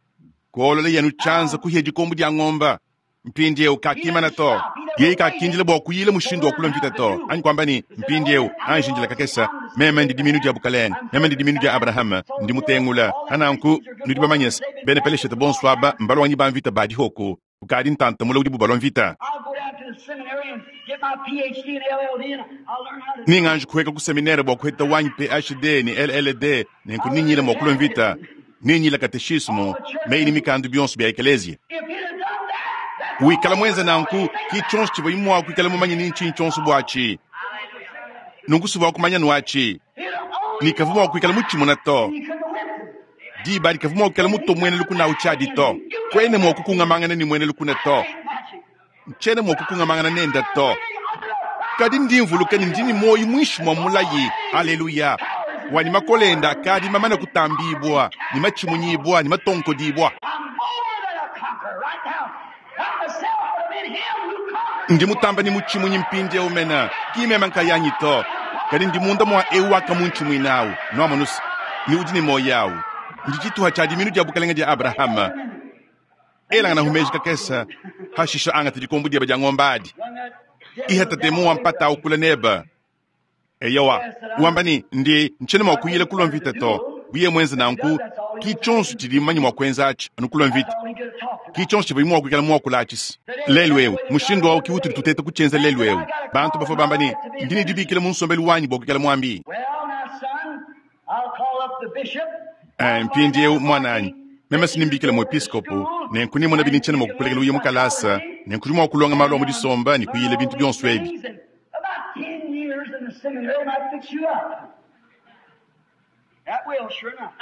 Kuolola yenu tshianza kuhiya dikombo dia ngomba. Mpindieu kakimana to. Yeye kakindila bua kuyila mushindu wa kulua mvita to, anyi kuamba ne, mpindieu anji ndila kakese, meme ndi dimiinu dia bukalenge, meme ndi dimiinu dia Abrahama, ndi mutengula. Pananku nudi bamanye se, bena Peleshete bonso aba mbalwanyi ba mvita ba dihoko, ukadi ntanta mule udibu balua mvita. I'll go down to the seminary and get my PhD and LLD and I'll learn how to Ninganji kuheka ku seminere bua kuheta wanyi PhD ne LLD nenku ninyila mua kulua mvita, ninyila kateshismo, meyi ne mikandu bionso bia ekelezia. If he'd have done that, that's Wikala mwenze nanku ki tshionso tshivua mua kuikala mumanye ni ntshinyi tshionso buatshi. Nunku suvua kumanya nuatshi. he'd have only Ni kavua mua kuikala mutshimuna to. he couldn't have whipped him. Diba dikavua mua kuikala mutomwene lukuna utshadi to. Kwene mua kukungamangana ni mwene lukuna to. Ain't magic. Ntshiena mua kukungamangana nenda to. Kadi ndi mvuluka ni ndi ni moyo mwinshi mwa mulayi. Aleluya. Wani makolenda kadi mamana kutambibwa, ni machimunyibwa, ni matonkodibwa. I'm more than a conqueror right now. Not myself, but I'm in him who conquered. Ndi mutamba ni muchimunyi mpindieu mena, kimema nkayanyi to. Kadi ndi munda mwa eu wakamunchimwinawu, nwamonusa, ni udi ni moyo awu. Ndi tshituha tshia diminu dia bukalenge dia Abrahama. Elangana humeji kakesa, hashisha angata dikombo dieba dia ngombe adi. When that devil Ihata temu wampata ukula neba. Eyowa, wamba ni ndi ntshiena mua kuyila kulua mvita to. Buye mwenze nanku, ki tshionso tshidi mmanyi mua kuenza atshi, anu kulua mvita. all he could have talked about. Ki tshionso tshivua mua kuikala mua kula atshisi. Lelu eu, mushindu wawu ki utudi tuteta kutshienza lelu eu. Bantu bavua bamba ni, ndi ne dibikila mu nsombelu wanyi bua kuikala muambi. Well, now, son, I'll call up the bishop. Eh, mpindieu mwananyi, meme sinimbikila muepiskopo, nenku nimona bini ntshiena mua kukulekela uye mu kalasa, nenku udi mua kulonga malu a mu disomba ne kuyila bintu bionso ebi. About ten years in the seminary might fix you up. That will, sure enough.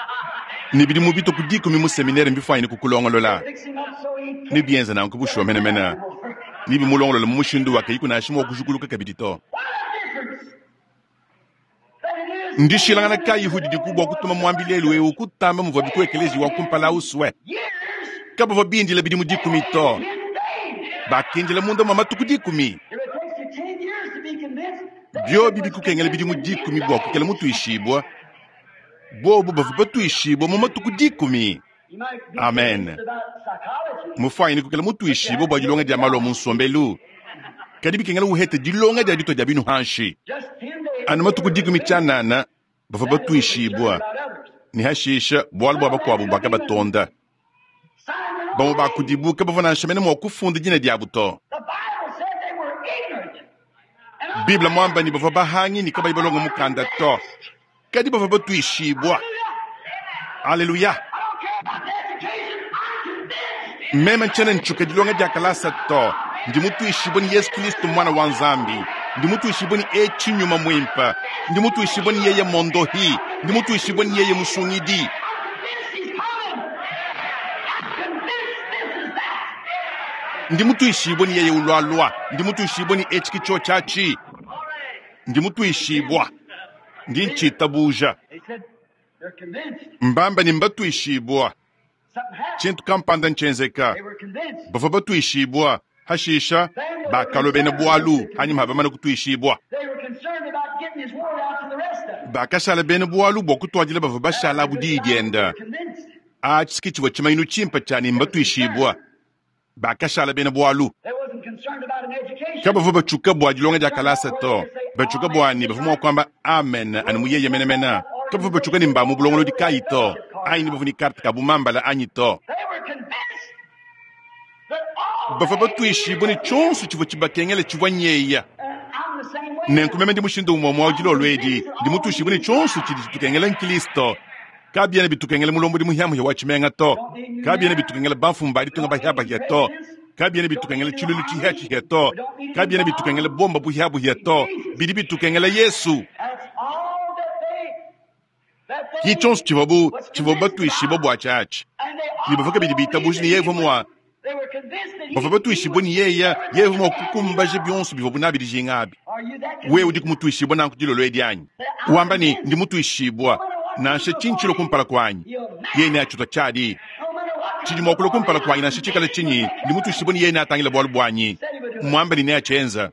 Ne bidi mu bituku dikumi mu seminere mbifwanyine kukulongolola. Fix him up so he Ne can't. bienza nanku bushuwa menemene. Ni bimulongolola mu mushindu wake ikunashi mua kujukuluka kabidi to. What a difference! That it is. Ndishilangana kayi hudi dikubwa kutuma mwambi lelu eu kutamba muvua bikuekelezi wa kumpala uswe. Years, Kabavua bindila bidi mu dikumi to. ten days. Bakindila munda mwa matuku dikumi. If it takes you ten years to be convinced, Byobi bikukengela bidi mu dikumi bua kukela mutuishibwa. Bobu bavua batuishibwa mu matuku dikumi. you might be Amen. convinced about psychology. Mufwanyine kukela mutuishibwa bua dilonga dia malu a mu nsombelu. Kadi bikengela uhete dilonga dia ditua dia binu hanshi. Just ten days. Anu matuku dikumi tshianana bavua batuishibwa. About others. Ne hashisha bualu bua bakuabu bakabatonda. Sign their own Bamue name. bakudibu kabavua nansha mene mua kufunda dina diabu to. The Bible said they were ignorant. And Biblia mwamba ni bavua bahangi ni kabayi balonga mukanda to. Kadi bavua batuishibwa. Aleluya. I don't care about the education. I'm convinced. Meme ntshiena ntshuka dilonga dia kalasa to. Ndi mutuishibwa ni Yesu Kristo mwana wa Nzambi. Ndi mutuishibwa ni etshi nyuma mwimpa. Ndi mutuishibwa ni yeye mondohi. Ndi mutuishibwa ni yeye musungidi. I'm convinced he's coming. I'm convinced this is that. Ndi mutuishibwa ni yeye ulwalwa. Ndi mutuishibwa ni etshi kicho tshiatshi. Ndi mutuishibwa. Ndi ntshitabuja. They said they're convinced. Mbamba ni mbatuishibwa. Something happened. Tshintu kampanda ntshenzeka. They were convinced. Bavua batuishibwa. Hashisha bakalua bena bualu hanyuma bamana kutuishibwa. They were concerned about getting his word out to the rest of them. Bakashala bena bualu bua kutuadila bavua bashala abu diyi dienda. Convinced. Atshi tshivua tshimanyinu tshimpe tshia ne mbatuishibwa. Bakashala bena bualu. They wasn't concerned about an education. Kabavua batshuka bua dilonga dia kalasa to. Batshuka bua ne bavua mua kuamba amen anu muyeye menemene. Kabavua batshuka ne mba mu bulongolodi kayi to. Anyi ne bavua ne karte ka bumambala anyi to. They were convinced that all Bavua batuishibwa ne tshionso tshivua tshibakengela tshivua nyeya. And I'm the same way. Nenku meme ndi mushindu umue mua dilolo edi ndi mutuishibwe ne tshionso tshidi tshitukengela nkristo. Kabiena bitukengela mulombodi muhiamuhia wa tshimenga to. Kabiena bitukengela bamfumu ba ditunga bahiabahia to. Kabiena bitukengela tshilulu tshihiatshihia to. Kabiena bitukengela bomba buhiabuhia to. Bidi bitukengela Yesu. That's all that they that they Ki tshionso tshivuabu was tshivua convinced batuishibwa about. bua tshiatshi. And they Ne bavua kabidi all bitabuja ne believed yeye that he mua was- they were convinced that he- bavua batuishibwa ne yeye yeye mua kukumbaja bionso bivua nabi dijinga abi. Are you that Wewe convinced? udi kumutuishibwa nanku dilolo edi anyi? Wamba ni ndi mutuishibwa nansha tshinyi kumpala kuanyi. Yeye neatshitwa tshiadi. No matter what Tshidi mua kulua kumpala kuanyi nansha tshikala tshinyi ndi mutuishibwa ni yeye neatangila bualu buanyi. Mwamba ni neatshienza.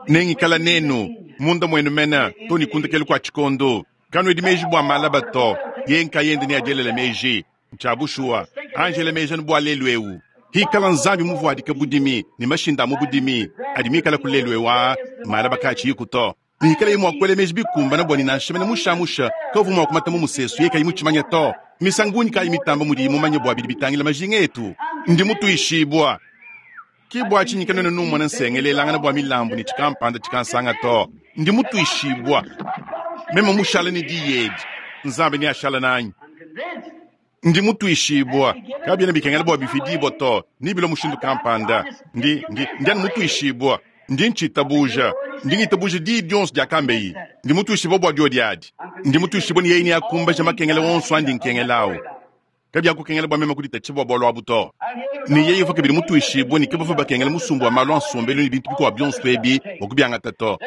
Nengikala nenu munda muenu mena to ni kundekelu kua tshikondo. Kanuedi meji bua malaba to. Ye nkayende neadielela meji. Ntshia bushuwa. Angela meji anu bua lelu eu. Hikala Nzambi muvuadike budimi ne mashinda a mu budimi adi mikale ku lelu eu aa, malaba kaatshiyiku to. Ne hikalaye mua kuela meji bikumbane bua ne nansha mene mushamusha kavua mua kumata mu musesu yeye kayi mutshimanye to. Misangu bungi kayi mitamba mudiyi mumanye bua bidi bitangila majinga etu? Ndi mutuishibua. Ke bua tshinyi kanuena numona nsengelelangana bua milambu ne tshikampanda tshikansanga to. Ndi mutuishibua. Meme mushale ne diyi edi, Nzambi neashale nanyi. Ndi mutuishibua. Kabiena bikengela bua bifidibua to, ne bilua mushindu kampanda. Ndi, ndi, ndi anu mutuishibua. Ndi ntshitabuja. Ndi ngitabuja diyi dionso diakambeyi. Ndi mutuishibua bua diodi adi. Ndi mutuishibua ne yeye neakumbaje makengela onso andi nkengelawu. Kabiakukengela bua meme kuditatshisha bua bualu abu to. Ne yeye uvua kabidi mutuishibue ne kabavua bakengela musumba wa malu a nsombelu ne bintu bikuabu bionso ebi bua kubiangata to.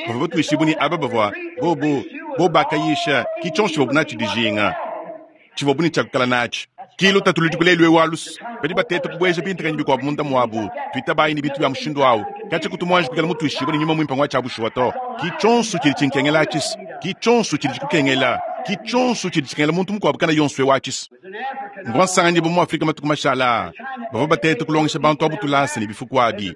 Bavua batuishibue ne aba bavua bobu, bobu bakayisha, ki tshionso tshivuabu natshi dijinga, tshivuabu ne tshia kuikala natshi. Ki lutatu ludiku lelu eu alu's. Badi bateta kubueja bintakanyi bikuabu munda muabu. Tuitabayi ne bintu bia mushindu au. Katshia kutu muanji kuikala mutuishibue ne nyuma muimpe ngua tshia bushuwa to. Ki tshionso tshidi tshinkengela atshis. Ki tshionso tshidi tshikukengela. Ki tshionso tshidi tshikengela muntu mukuabu kana yonso eu atshis. Mvua nsanganyibua mu Afrika matuku mashala aa. Bavua bateta kulongesha bantu abu tulasa ne bifuku abi.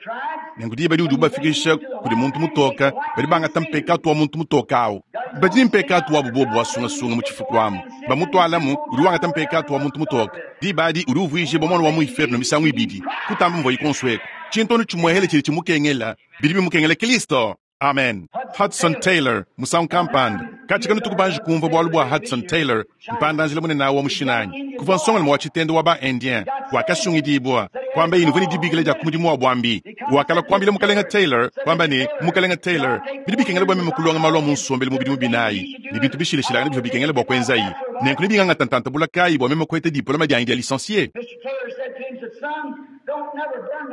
Nenku diba diudi ubafikisha kudi muntu mutoka, badi bangata mpekatu wa muntu mutoka au. Badi ne mpekatu wabu bobu wa sungasunga mu tshifuku amu. Bamutualamu, udi wangata mpekatu wa muntu mutoka. Diba adi udi uvuijibua muana wa mu inferno misangu ibidi, kutamba muvuaye kuonso eku. Tshintu anu tshimuehele tshidi tshimukengela, bidi bimukengela Kristo. Amen. Hudson Taylor, musangu kampanda. Katshia kanutuku banji kumvua bualu bua Hudson Taylor, mpanda-njila munene wa mu Chine. Kuvua nsongalume wa tshitende wa ba-Indien, wakasungidibua, kuambaye ne uvua ne dibikila dia ku mudimu wa buambi. Wakalua kuambila Mukalenge Taylor, kuamba ne, Mukalenge Taylor, bidi bikengela bua meme kulonga malu a mu nsombelu mu bidimu binayi, ne bintu bishilashilangane bivua bikengela bua kuenzayi. Nenku nebingangata ntanta bule kayi bua meme kupeta diplome dianyi dia licencie?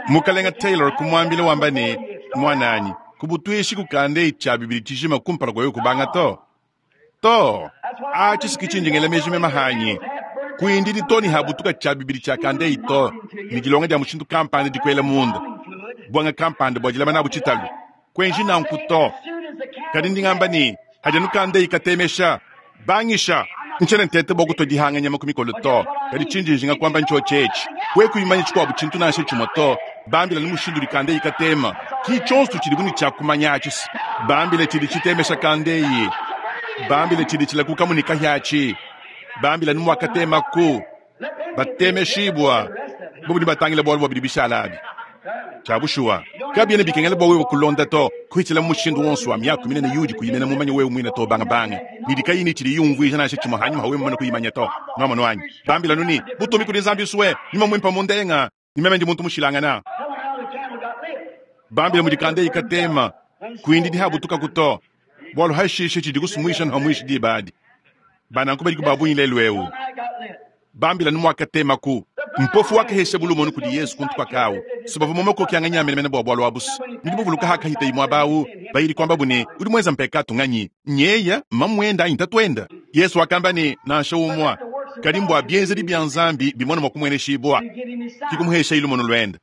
Mukalenge Taylor kumuambila wamba ne, Muananyi, kubutuishi kukanda tshia bibidi tshijima kumpala kua wewe kubanga to. To, atshi si tshindi ngela meji meme hanyi. Kuindidi to ne habutuka tshia bibidi tshia kandeyi to, ne dilonga dia mushindu kampanda dikuela munda, buanga kampanda bua dilama nabu tshitalu. Kuenji nanku to. Kadi ndi ngamba ne, hadi anu kandeyi katemesha, bangisha. Ntshiena nteta bua kutua dihanga nyama ku mikolo to, kadi tshindi njinga kuamba ntshiotshi etshi. Wewe kuimanya tshikuabu tshintu nansha tshimue to, bambila ne mushindu udi kandeyi katema. Ki tshionso tshidibu ne tshia kumanya atshi. Bambila tshidi tshitemesha kandeyi. Bambila tshidi tshilakukamu ne kahiatshi. Bambila ne muakatemaku. Batemeshibua. Bobu ne batangila bualu bua bidi bishala abi. Tshia bushuwa, kabiena bikengela bua wewe kulonda to, kuhitshila mu mushindu wonso wa miaku minene yudi kuyimena mumanye wewe muine to bangabanga. Midi kayi ne tshidi yumvuija nansha tshimue hanyuma ha wewe mumane kuyimanya to. Nwamonu anyi? Bambila nuni, butumbi kudi Nzambi usue, nyuma muimpe mundenga, ne meme ndi muntu mushilangana. Bambila mudi kandeyi katema, kuindidi habutukaku to. Bualu hashishe tshidi kusumuisha nhamuishi diba adi. Bananku badi kubabunyi lelu eu. Bambila numuakatemaku. Mpofu wakahesha bulumonu kudi Yesu kuntu kwakawu. Subava momakoki anga menemene bua bualu abusu. Nudi buvuluka hakahita imwe abawu, bayidi kwamba bune, udi mwenza mpekatu nganyi? Nyeya, mamwenda anyi tatuenda? Yesu wakamba ne, nansha umwa. Kadi mbwa bienzedi bia Nzambi bimona mwa kumweneshibwa. Kikumuhesha ilumono lwenda.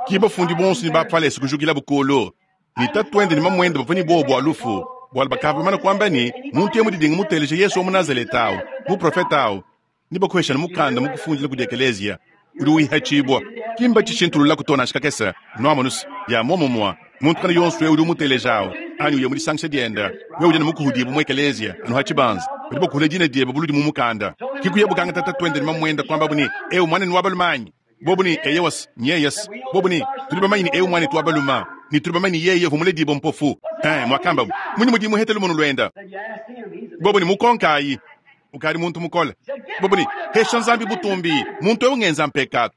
Kibafundi bonso ni bafalesi kujukila bukulu. Ni tatuende ni mamwenda bavua ni bobo bua lufu. Bualu bakava bamana kuamba ne, muntu yemu didinga muteleje Yesu wa mu Nazareta awu, muprofeta awu. Ni bakuhesha na mukanda mukufundila kudi ekelezia. Udi uihachibwa. Kimba tshishintulula kutona shikakesa. Nwamonus, ya momomwa. Muntu kana yonso we udi umuteleja awu. Anyi uye mudisangisha dienda. We udi na mukuhudibu mu ekelezia, anu hachibanza. Badi bakuhula dina diebe buludi mu mukanda. Kikuye bukanga tata twende ni mamwenda kwamba buni, eu mwana ni wabalumanyi. Bobu ni eyewasi, nyeyesi. Bobu ni, tuli bamanyi ni eu mwana ni twabaluma. Ni tuli bamanyi yeye vumule dibo mpofu. Eh, mwakamba bu. Munyi mudimu hetelu munu lwenda. Bobu ni mukonkayi. Ukari muntu mukole. Bobu ni, hesha Nzambi butumbi. Muntu eu ngenza mpekatu.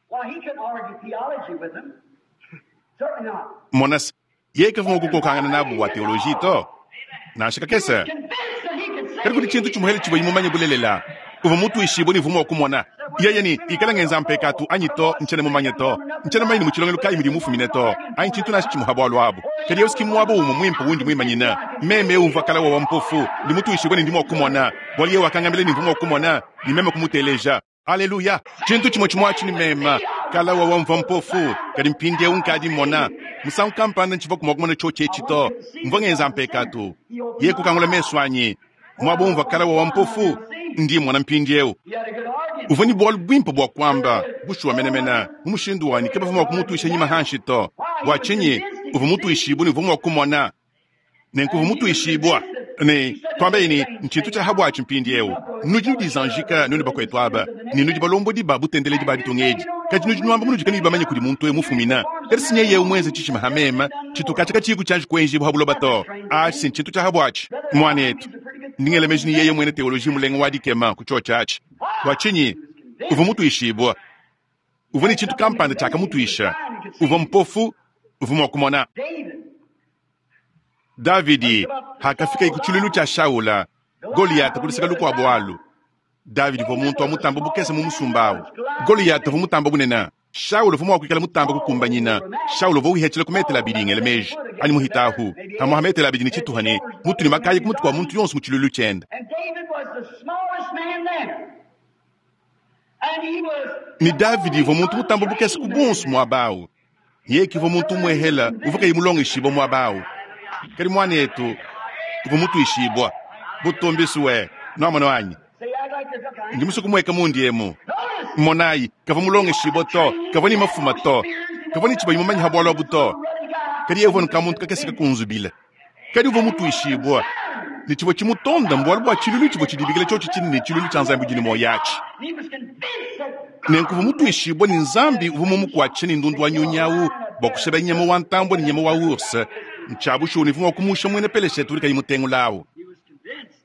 Monas, yeke vumwe kukokangana nabu wa teoloji to. Nansha kakesa. Kadi kudi tshintu tshimuhele tshivua imumanye bulelela. Uva mutu ishibo ni vumwe wakumona. Yeye ni ikala ngenza mpekatu anyi to nchene mumanye to. Nchene mumanye ni muchilongelo kayi mudi mufumine to. Anyi tshintu nashi tshimuha bualu abu. Kadi yesu kimwabo umwe mwimpe wundi mwimanyina. Meme umva kala wa mpofu. Ndi mutu ishibo ni ndimo wakumona. Bwali yewe wakangambile ni mvumwe wakumona. Ni meme kumuteleja. Haleluya. Tshintu tshimwe tshimwe ni mema. Kala wa wamva mpofu. Kadi mpindi eu nkadi mona. Musangu kampanda ntshiva kumwa kumona tsho tshito. Mvwa ngenza mpekatu. Ye kukangula meso anyi. Mwabo umva kala wa mpofu. Ndi mwana mpindi eu. Uvua ne bualu buimpe bua kuamba, bushuwa menemene, mu mushindu wanyi kabavua mua kumutuisha nyima hanshi to. Bua tshinyi? Uvua mutuishibue ne uvua mua kumona. Nenku uvua mutuishibua ne tuambe ne ntshintu tshia habuatshi mpindieu. Nudi nudizanjika nuenu bakwetu aba ne nudi balombodi ba butendeledi ba ditunga edi, kadi nudi nuamba munudi kanuyi bamanye kudi muntu eu mufumina. Kadi si nyeye muenze tshishima ha mema tshituka tshiyi tshianji kuenjibua ha buloba to. Atshi si ntshintu tshia habuatshi. Muanetu, ndi ngela meji ni yeye muena teoloji mulenga wa dikema ku tshiotshi atshi. Bua tshinyi? Uvua mutuishibua. Uvua ne tshintu kampanda tshiakamutuisha. Uvua mpofu, uvua mua kumona. Davidi hakafika ku tshiluilu tshia Shaula, Goliata kuluseka lukuabu alu. Davidi uvua muntu wa mutamba bukese mu musumba awu. Goliata uvua mutamba bunene. Shaula uvua mua kuikala mutamba kukumbanyina. Shaula uvua wihetshila ku metele abidi ngela meji anyi muhitahu hamwe ha metele abidi ne tshituha ne mutu ne makayi ku mutu kua muntu yonso mu tshiluilu tshiende. And David was the smallest man there. And he was Ne Davidi uvua muntu mutamba bukese ku bonso muaba awu. Yeye uvua muntu muehela uvua kayi mulongeshibua muaba awu. Kadi muanetu uvua mutuishibua. Butumbiswe nwamona wanyi. Say, I'd like to look. Ndi musuku mweka mundi emu. Notice, Monayi kavua mulongeshibua to, kavua ne mafuma to, kavua ne tshibayi mumanyi ha bualu abu to. Kadi yeye uvua nuka muntu kakese kakunzubila. Kadi uvua mutuishibua ne tshivua tshimutonda mbualu bua tshiluilu tshivua tshidibikila tshiotshi tshinene ne tshiluilu tshia Nzambi udi ne muoyo atshi. and he was convinced that Nenku uvua mutuishibua ne Nzambi uvua mumukuatshisha ne ndundu wa nyunyi awu bua kusheba nyama wa ntambue ne nyama wa urse. Ntshia bushuwa ne uvua mua kumusha muena Peleshete udi kayi mutengula awu. he was convinced.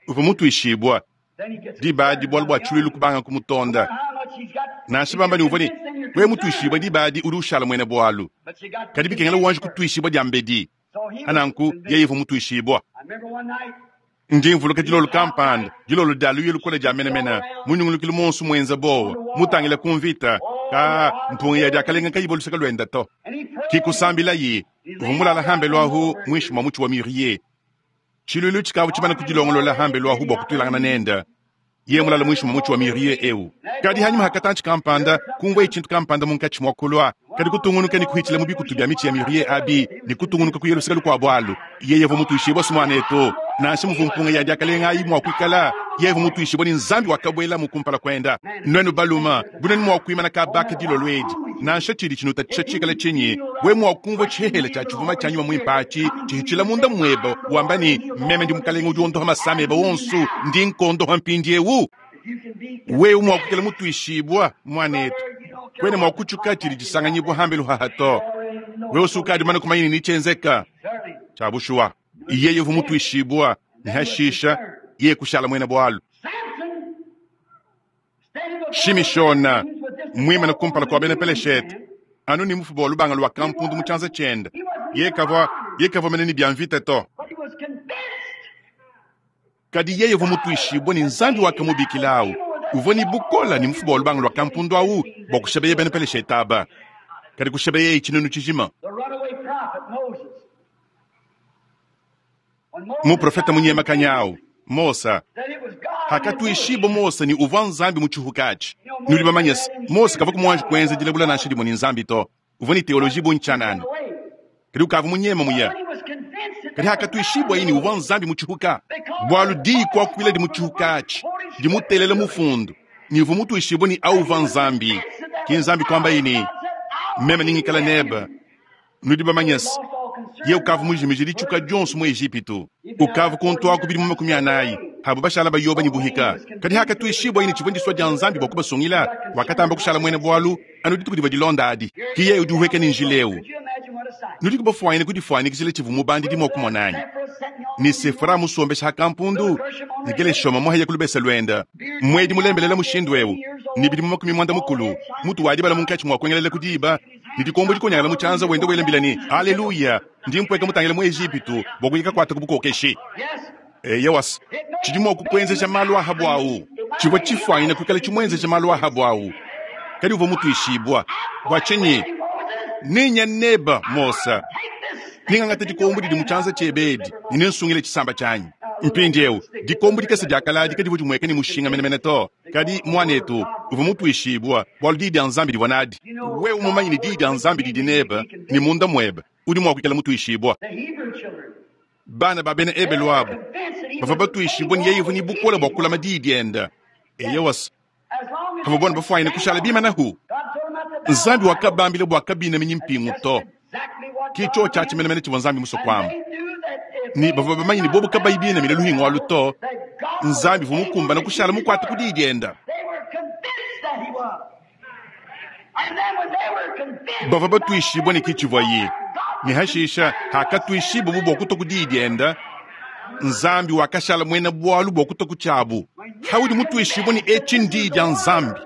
Uvua mutuishibua Then he gets diba adi bualu bua tshiluilu kubanga kumutonda. how much he's got. Nansha bamba ne uvua ne wewe mutuishibua diba adi udi ushala muena bualu. But you got Kadi bikengela wanji kutuishibua dia mbedi. So he was Ananku convinced. yeye uvua mutuishibua. I remember one night Ndi mvuluka dilolo kampanda, dilolo dia luya lukola dia menemene, munyungulukile monso muenza bowa, mutangila ku mvita, ka mpunga ya diakalenga kayibo luseka luenda to. and he prayed. Kikusambila yi, uvua mulala hambe lwahu mwishi mwa mutshi wa muriye. Tshiluilu tshikavu tshimana kudilongolola hambe lwahu bua kutuilangana nenda. Ye mulala mwishi mwa mutshi wa muriye eu. Kadi hanyuma hakatanchi kampanda, kumvua tshintu kampanda munkatshi mwa kulwa. Kadi kutungunuka ne kuhitshila mu bikutu bia mitshi ya muriye abi, ne kutungunuka kuya luseka lukuabu alu. Yeye uvua mutuishibua si muanetu. Nansha muvua mpunga ya diakalenga ayi mua kuikala, yeye uvua mutuishibua ne Nzambi wakabuela mu kumpala kuenda. Nuenu baluma, bunenu mua kuimana kabaka dilolo edi. Nansha tshidi tshinutatshisha tshikala tshinyi, we mua kumvua tshihehele tshia tshivuma tshia nyuma muimpe atshi, tshihitshila munda muebe, wamba ne, meme ndi mukalenga udi wondoha masama ebe wonso, ndi nkondoha mpindiewu. If you can be Wewe mua kuikala mutuishibua muanetu. Kwena mua kutshuka tshidi tshisanganyibua hambelu haha to. Wewe usukadi mana kumanya ni tshenzeka. certainly Tshia bushuwa. Yeye uvua mutuishibua, ne hashisha, yeye kushala muena bualu. Samson standing before Shimishona, the Philistines with this muimane kumpala kua bena Peleshete, anu ne mufuba wa lubanga lua kampundu mu tshianza tshiende. Yeye kavua, yeye kavua mene ne bia mvita to. but he was convinced Kadi yeye uvua mutuishibua ne Nzambi wakamubikila awu. Uvua ne bukola ne mufuba wa lubanga lua kampundu awu bua kushebeye bena Peleshete aba. Kadi kushebeye tshinunu tshijima. the runaway prophet Moses. When Moses Muprofeta munyemakanyi awu, Mosa, said it was God in the bush, hakatuishibua Mose ni uvua Nzambi mu tshihuka atshi. Nudi bamanye se, Mose kavua kumuanji kuenza dilabula nansha dimue ne Nzambi to. Uvua ne teoloji bu ntshianana. away. Kadi ukavua munyema muya. When he was convinced that Kadi hakatuishibua ini uvua Nzambi mu tshihuka. Bualu diyi kuakuila di mu tshihuka atshi, dimutelela mufundu. Ni uvua mutuishibua ni awu uvua Nzambi. Ki Nzambi kuamba ini, meme ningikala nebe. Nudi bamanye se, lost all concern ye ukavua mujimije ditshuka dionso mu Ejipitu. Ukavua kuntu aku bidimu makumi anayi. Abo bashala bayoba ne buhika. Kadi hakatuishibua ini tshivua ndisua dia Nzambi bua kubasungila, wakatamba kushala muena bualu, anu dituku divua dilonda adi. Ki yeye udi uheka ne njila ewu. Could you imagine what a sight? Nudi kubafuanyine kudifuanyikijila tshivua mubandidi mua kumona anyi? Sephora sitting on Ni Sefora musombesha ha kampundu, ni Geleshoma muhaya kulubesa lwenda. Mwedi mulembelela mushindu ewu, ni bidimu makumi mwanda mukulu, mutu wadibala munkatshi mua kuengelela kudiba, ni dikombo dikonyangala mu tshianza wenda welambila ni, Haleluya, ndi mpweka mutangila mu Ejipitu, bua kuyika kuata ku bukokeshi. Yes, Eya wasi, tshidi mua kukuenzesha malu ahabu awu. Tshivua tshifuanyine kuikala tshimuenzesha malu ahabu awu. Kadi uvua mutuishibua. Bua tshinyi? Moses, Ninya neba, Mosa. take this Ningangata dikombo didi mu tshianza tshiebe edi, ne nensungile tshisamba tshianyi. Mpindiewu, dikombo dikese dia kaladi kadivua dimueka ne mushinga menemene to. Kadi muanetu, uvua mutuishibua, bualu diyi dia Nzambi divua nadi. Wewe mumanye ne diyi dia Nzambi didi nebe, ne munda muebe, udi mua kuikala mutuishibua. the Hebrew children. Bana ba bena Ebelu abo, Convinced that he bavua was batuishibua ne yeye uvua ne bukole bua kulama diyi diende. Eya wasi, Pavua bona bafuanyine kushala bimanahu. Nzambi wakabambila bua kabinaminyi mpingu to. Ki tshiotshi atshi menemene tshivua Nzambi musue kuamba. Ne bavua bamanye ne bobu kabayi binamine luhingu alu to, Nzambi uvua mukumbane kushala mukuate ku diyi diende. Bavua batuishibue ne ki tshivuaye. Ne hashisha hakatuishibubu bua kutua ku diyi diende, Nzambi wakashala muena bualu bua kutua ku tshiabu. Haudi mutuishibue ne etshi ndiyi dia Nzambi,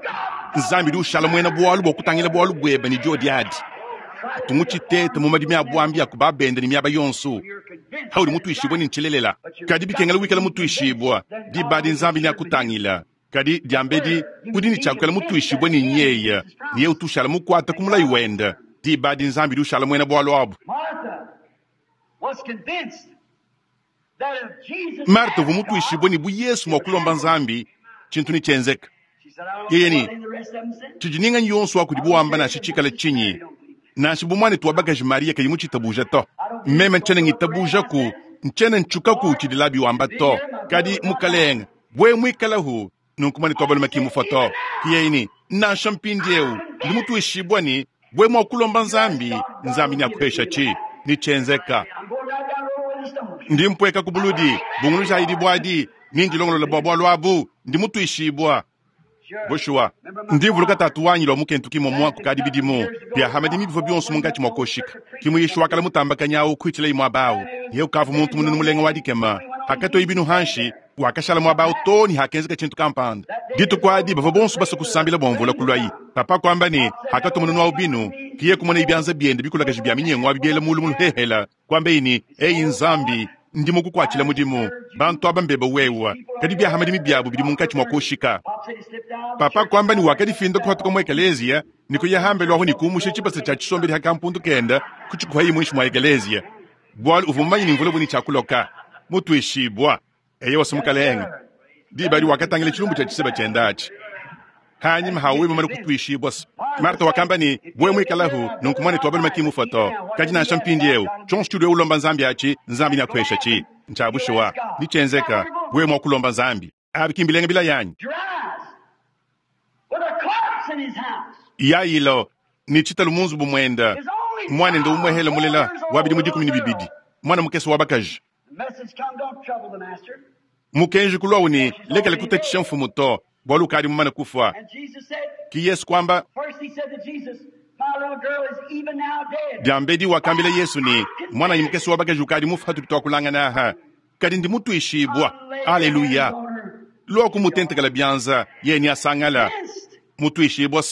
Nzambi udi ushala muena bualu bua kutangila bualu buebe ne diodi adi. Ntu mutshitete mu madimi a buambi a ku babende ne miaba yonso. Haudi mutuishibue ne ntshilelela. Kadi bikengela wikala mutuishibua, diba adi Nzambi neakutangila. Kadi diambedi udi ne tshia kuikala mutuishibue ne nyeya, ne yeye utu ushala mukuate ku mulayi wende. Diba adi Nzambi udi ushala muena bualu abu. Marta uvua mutuishibue ne bu Yesu mua kulomba Nzambi, tshintu netshienzeke. Yeye ne, tshidi ninganyi yonso wa kudibu wamba nansha tshikale tshinyi, nansha bu muanetu wa bakaji Maria kayi mutshitabuja to. Meme ntshiena ngitabujaku, ntshiena ntshukaku tshidi Labi wamba to. Kadi mukalenge, wewe muikalahu, nunku muanetu wa balume ki mufua to. Yeye ne, nansha mpindieu ndi mutuishibue ne wewe mua kulomba Nzambi, Nzambi neakupesha tshi netshienzeka. Ndi mpueka ku buludi, bungulujayi dibuadi, ni ndilongolola bua bualu abu, ndi mutuishibua. Bushuwa, ndi mvuluka tatu wanyi lwa mukentu kimwe mwa kukadi bidimu bia hamadimi bivua bionso munkatshi mua koshika. Kimwe Yesu wakala mutambakanya awu kuitshila imwe abawu. Ye ukavu muntu munene mulenga wa dikema. Hakatoyi binu hanshi, wakashala muaba awu too ne hakenzeka tshintu kampanda. Dituku adi bavua bonso basue kusambila bua mvula kulwayi. Papa kuamba ne, hakatwa mununu awu binu, kiye kumona ibianza biende bikulakaji bia minyengo abi biela mulu muluhehela. Kuambe ne, eyi Nzambi, ndi mukukuatshila mudimu. Bantu aba mbeba wewa. Kadi bia hamadimi biabu bidi munkatshi mua koshika. Papa kuamba ne wakadifinda kuhatuka mu ekelezia, ne kuya hambelu aho ne kumusha tshibasa tshia tshisombedi ha kampundu kenda, kutshikuhayi muinshi mua ekelezia. Bualu uvua mumanye ne mvula buni tshia kuloka. Mutuishibua. Eye wase mukalenge. Diba adi wakatangila tshilumbu tshia tshiseba tshienda atshi. Hanyima hawe mumane kutuishibua. Marta wakamba ne, bwe muikalahu, nunku muanetu wa balume ki mufua to. Kadi nansha mpindieu, tshionso tshiudi ulomba Nzambi atshi, Nzambi neakuhesha tshi. Ntsha bushuwa, nitshienzeka, wewe mua kulomba Nzambi. Abi ki mbilenga bila yanyi. Yailo, ni tshitalu mu nzubu muenda. Mwanende umwehela mulela, wabidi mu dikumi ne bibidi. Mwana mukese wa bakaji. Mukenji kulwawu ne, lekela kutatshisha mfumu to, bualu ukadi mumane kufua. Ki Yesu kwamba, diambedi wakambila Yesu ne, mwananyi mukese wa bakaji ukadi mufua hatudi twakulangana aha. Kadi ndi mutuishibua. Aleluya. Lwa kumutentekela bianza, yeye ni asangala. Mutuishibua.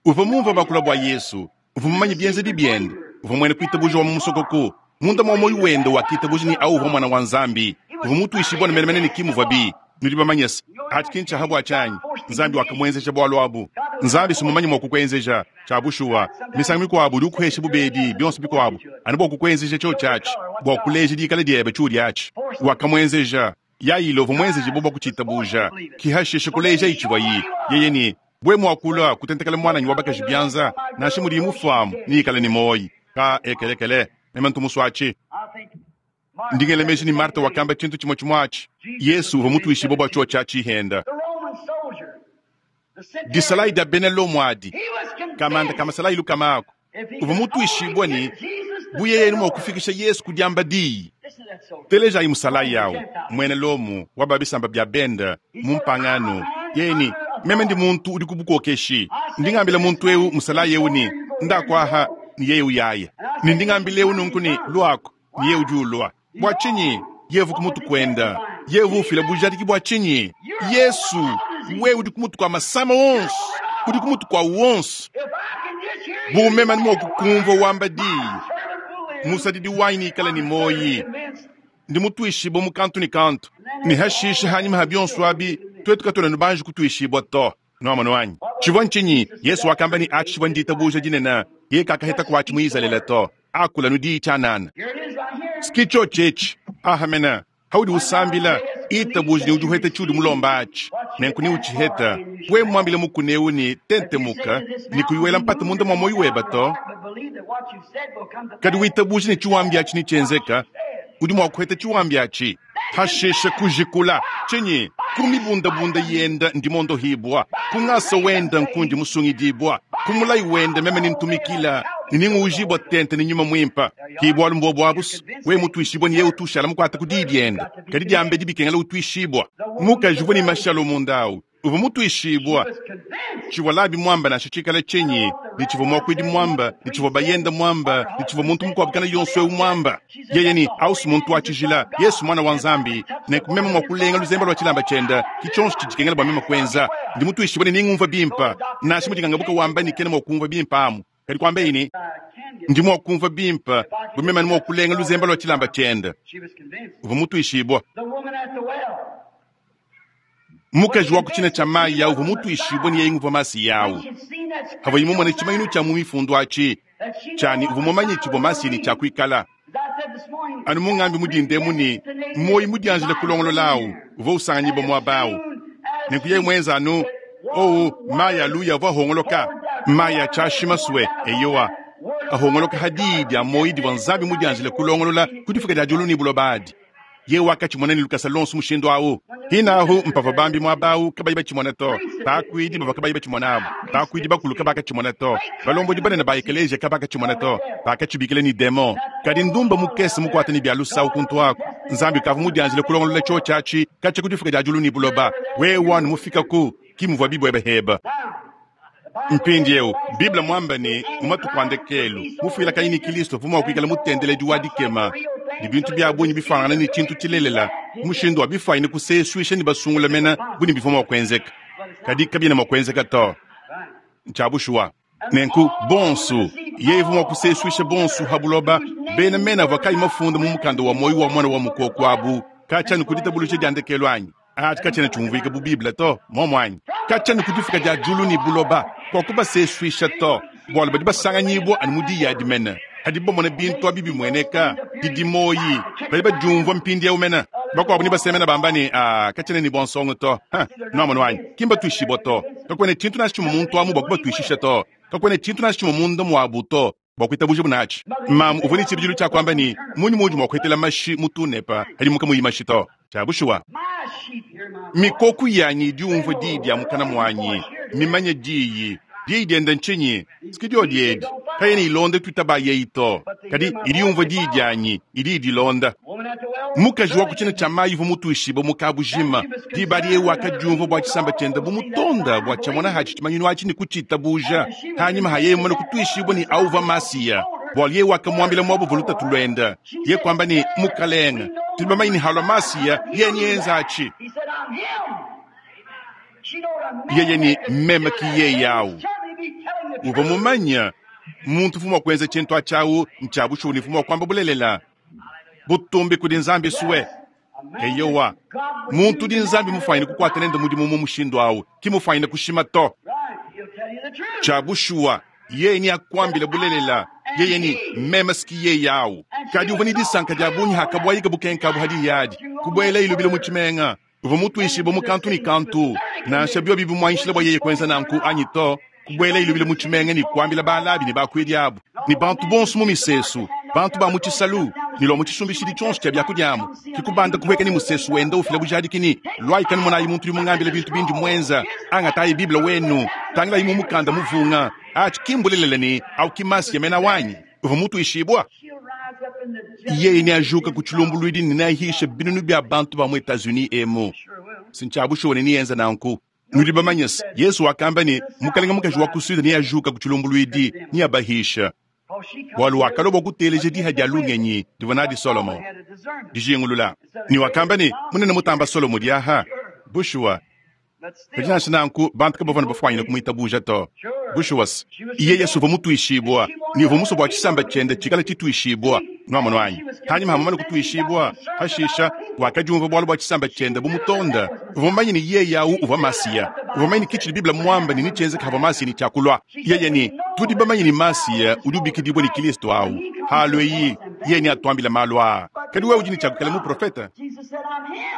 Uvua mumvua bakula bua Yesu, uvua mumanye bienzedi biende, uvua mwene kuitabuja wa mu musokoko. Munda mwa moyo wende wakitabuja ni au uvua mwana wa Nzambi. Uvua mutuishibua ne menemene ne kimuvua bi. Nudi bamanye se, atshi ki ntsha habua tshanyi. Nzambi wakamwenzeja bualu abu. Nzambi si mumanye mua kukwenzeja, tshia bushuwa. Misangu mikuabu udi ukuhesha bubedi bionso bikuabu, anu bua kukwenzeja tshio tshiatshi, bua kuleja dikala diebe tshiudi atshi. Wakamwenzeja. Yailo uvua mwenzeje bua kutshitabuja. Kihashisha kuleja itshivua yi. Yeye ni, bwe muakula kutentekela mwananyi wa bakaji bianza, nansha mudi mufuamu, nikale ni moyi. Ka ekelekele, meme ntumuswatshi. Ndingele meji ni Marta wakamba tshintu tshimwe tshimwatshi. Yesu uvua mutuishibue bua tshio tshia tshihenda. Disalayi dia bena Lomo adi, kamanda kamasalayi lukamako. Uvua mutuishibue ni bu yeye ni mua kufikisha Yesu ku diamba diyi. Telejayi musalayi yawu, mwene Lomo wa babisamba bia benda mu mpangano. Yeye ni, meme ndi muntu udi ku bukokeshi. Ndingambila muntu eu musalayi eu ni, ndakwaha ni yeye uyaya. Ni ndingambila eu nunku ni lwako ni yeye udi ulwa. Bua tshinyi yevu kumutu kwenda, yevu ufila bujadiki bua tshinyi. Yesu, wewe udi kumutu kwa masama wonso, udi kumutu kwa wonso. Bu meme ni mua kukumvua wamba diyi, musadidi wanyi nikale ni moyi. Ndi mutuishibua mu kantu ni kantu. Ni hashisha hanyima ha bionso abi, twetu katwena nubanji kutuishibua to. Nwamano wanyi. Tshivua ntshinyi, Yesu wakamba ni atshi tshivua nditabuja dinene, ye kakaheta kwatshi mu Izalele to. Akula nudi tshianana. Sikicho tshetshe, ahamena. Haudi usambila, itabuja ni udi uheta tshiudi mulomba atshi. Nenku ni utshiheta, we mwambile mukuneu ni tentemuka, ni kuyuela mpata munda mwa moyo weba to. Kadi witabuja ni tshiwambi atshi ni tshienzeka, Udi mua kuheta tshiwambi atshi. Hashishe kujikula tshinyi? Ku mibundabunda yenda ndi mondohibwa, ku ngasa wenda nkundi musungidibwa, ku mulayi wenda meme nintumikila, ninguujibwa tente ni nyuma mwimpa. Ki bwalu mbwo abusu, we mutwishibwa ni ye utushala mukwata ku diyi dienda. Kadi diambe dibikengela utwishibwa. Mukaji uvua ni mashalo mundawu. Uvua mutwishibwa. Tshivua labi mwamba nansha tshikala tshinyi, ni tshivua mwakwidi mwamba, ni tshivua bayenda mwamba, ni tshivua muntu mukuabu kana yonso eu mwamba. Yeye ni ausu muntu wa tshijila, Yesu mwana wa Nzambi, ne kumema mwa kulenga luzemba lwa tshilamba tshienda, ki tshionso tshidikengela bua mema kuenza. Ndi mutwishibwa ne ningumva bimpa, nansha mudingangabuka wamba ni kena mwa kumva bimpa amu. Kadi kwamba ini, ndi mwa kumva bimpa, bu mema ni mwa kulenga luzemba lwa tshilamba tshienda. Uvua mutwishibwa. Mukaji wa kuchina cha mayi yawu uvua mutwishibwa ni yeye uvua masi yawu. Havua imumona tshimanyinu tshia mu mifundu atshi, tshani uvua mumanye tshivua masi ni tshia kuikala. Anu mungambi mudindemu ni moyi mudianjila kulongololawu, uvua usanganyibwa muabawu. Nenku yeye mwenza anu, owu mayi aluya avua ahongoloka, mayi atshashima sue eyowa. Ahongoloka hadi dia moyi divua Nzambi mudianjila kulongolola ku difuka dia diulu ni buloba adi. Ye wakatshimona ni lukasa lonso mushindu awu. Hinahu mpava bambi mwabawu kabayi batshimona to. Bakwidi bava kabayi batshimona abu. Bakwidi bakulu kabakatshimona to. Balombodi banene ba ekelesia kabakatshimona to. Bakatshibikila ni demon. Kadi ndumba mukese mukwata ni bya lusawu kuntu ako. Nzambi kavu mudianjila kulongolola cho chachi kacha kudifuka dia diulu ni buloba. Wewe wanu mufika ku kimuvua bibwebe heba. Mpindi eu, Biblia mwamba ni mumatuku andekelu, mufuila kayini Kristo vuma kuikala mutendeledi wa dikema. Ni bintu bya bunyi bifangana ni chintu chilelela, mushindu wa bifaine kuseswisha ni basungula mena buni bifoma kwenzeka. Kadi kabina mwakwenzeka to. Nchabushwa. Nenku bonsu, yeye vuma kuseswisha bonsu habuloba, bena mena vakai mafunda mu mukanda wa moyo wa mwana wa mukoko abu, kacha ni kuditabulusha diandekelu anyi. Ati kacha chumvika bu Biblia to, momwanyi. Kacha ni kudifika dia julu ni buloba, kwa kubaseswisha to. Bwalo badi basanganyibwa ani mudi ya dimena. Hadi bomona bintu abibi mweneka, didimoyi, badi bajumvwa mpindi ya umena. Bakwabo ni basemena bamba ni, ah, kachene ni bonsongo to. Ha, no wanyi. Kimba tuishibo to. Kakwene chintu na chimu muntu amu bakuba tuishisha to. Kakwene chintu na chimu munda mwabu to. Bakwita buje bunachi. Mamu uvuni chibijilu cha kwamba ni munyu munyu mwakwetela mashi mutunepa, hadi muka muyi mashi to. Chabushuwa. Mikoku yanyi diumvwa didi ya mukana mwanyi, mimanye diyi, diyi dienda nchinyi, sikidio diedi, kayeni ilonde twitaba yeito, kadi idiumvwa diyi dyanyi, idi idilonda. Mukaji wa kuchina cha mayi vu mutuishiba mukabujima, dibali yewu akadiumvwa bwa chisamba chenda bu mutonda bwa chamona hachi chimanyinu achi ni kuchita buja, hanyima haye mwana kutuishibwa ni auva masiya. Bwali yewu akamwambila mwabu vuluta tulwenda, ye kwamba ni mukalenga, tulibama ini halwa masiya, ye nyenza achi. Yeye ni mema ki ye yawu. Uva mumanya, muntu fumwa kwenza chintu achawu, nchabu shuni fumwa kwamba bulelela. Butumbi kudi Nzambi suwe. Eyowa. Muntu di Nzambi mufaine kukwata nende mudimu mu mushindu awu, ki mufaine kushima to. Chabu shuwa, yeye ni akwambila bulelela. Yeye ni mema siki ye yawu. Kadi uva ni disanka dia bunyi hakabwayiga bukenka bu hadi yadi. Kubwela ilubila mu chimenga. Uva mutuishiba mu kantu ni kantu. Nansha byo bibi mwanshila bwa yeye kwenza nanku anyi to. Kubwela ilubila mu chimenga ni kwambila balabi ni bakwidi abu. Ni bantu bonso mu misesu. Bantu ba mu chisalu. Ni lo mu chisumbishidi chonso cha byakudyamu. Kikubanda kuweka ni musesu wenda ufila bujadikini. Lwai kanu mona imuntu limungambila bintu bindi mwenza. Anga tayi Biblia wenu. Tangila imu mukanda muvunga. Achi kimbulelele ni au kimasi yamena wanyi. Uva mutu ishibwa. Yeye ni ajuka kuchilumbulwidi ni nahisha binunu bya bantu ba mu Etats-Unis emo. Sinchabusho ni yenza nanku. Nudi bamanyas, Yesu wakamba ni mukalenga mukaji wa kusuda ni ajuka kuchilumbulwidi ni abahisha. Walu wakalobo kuteleje diha dia lungenyi divana di Solomo. Dijingulula. Ni wakamba ni munene mutamba Solomo diaha. Bushua. Kajina nanku bantu kabavana bafwanyina kumwitabuja to. Bushuwas. Iye Yesu va mutuishibwa. Ni va muso bwa chisamba chende chikala chituishibwa. Nwamano wanyi. Hanyuma hamamana kutuishibwa. Hashisha wakajumva bwalo bwa chisamba chende bumutonda. Uvamanyi ni ye yawu uva masiya. Uvamanyi ni kichili Biblia mwamba ni nichenze kava masiya ni chakulwa. Yeye ni tudi bamanyi ni masiya udubikidibwa ni Kristo au. Halo yi ye ni atwambila malwa. Kadi wewe ujini chakukala mu profeta.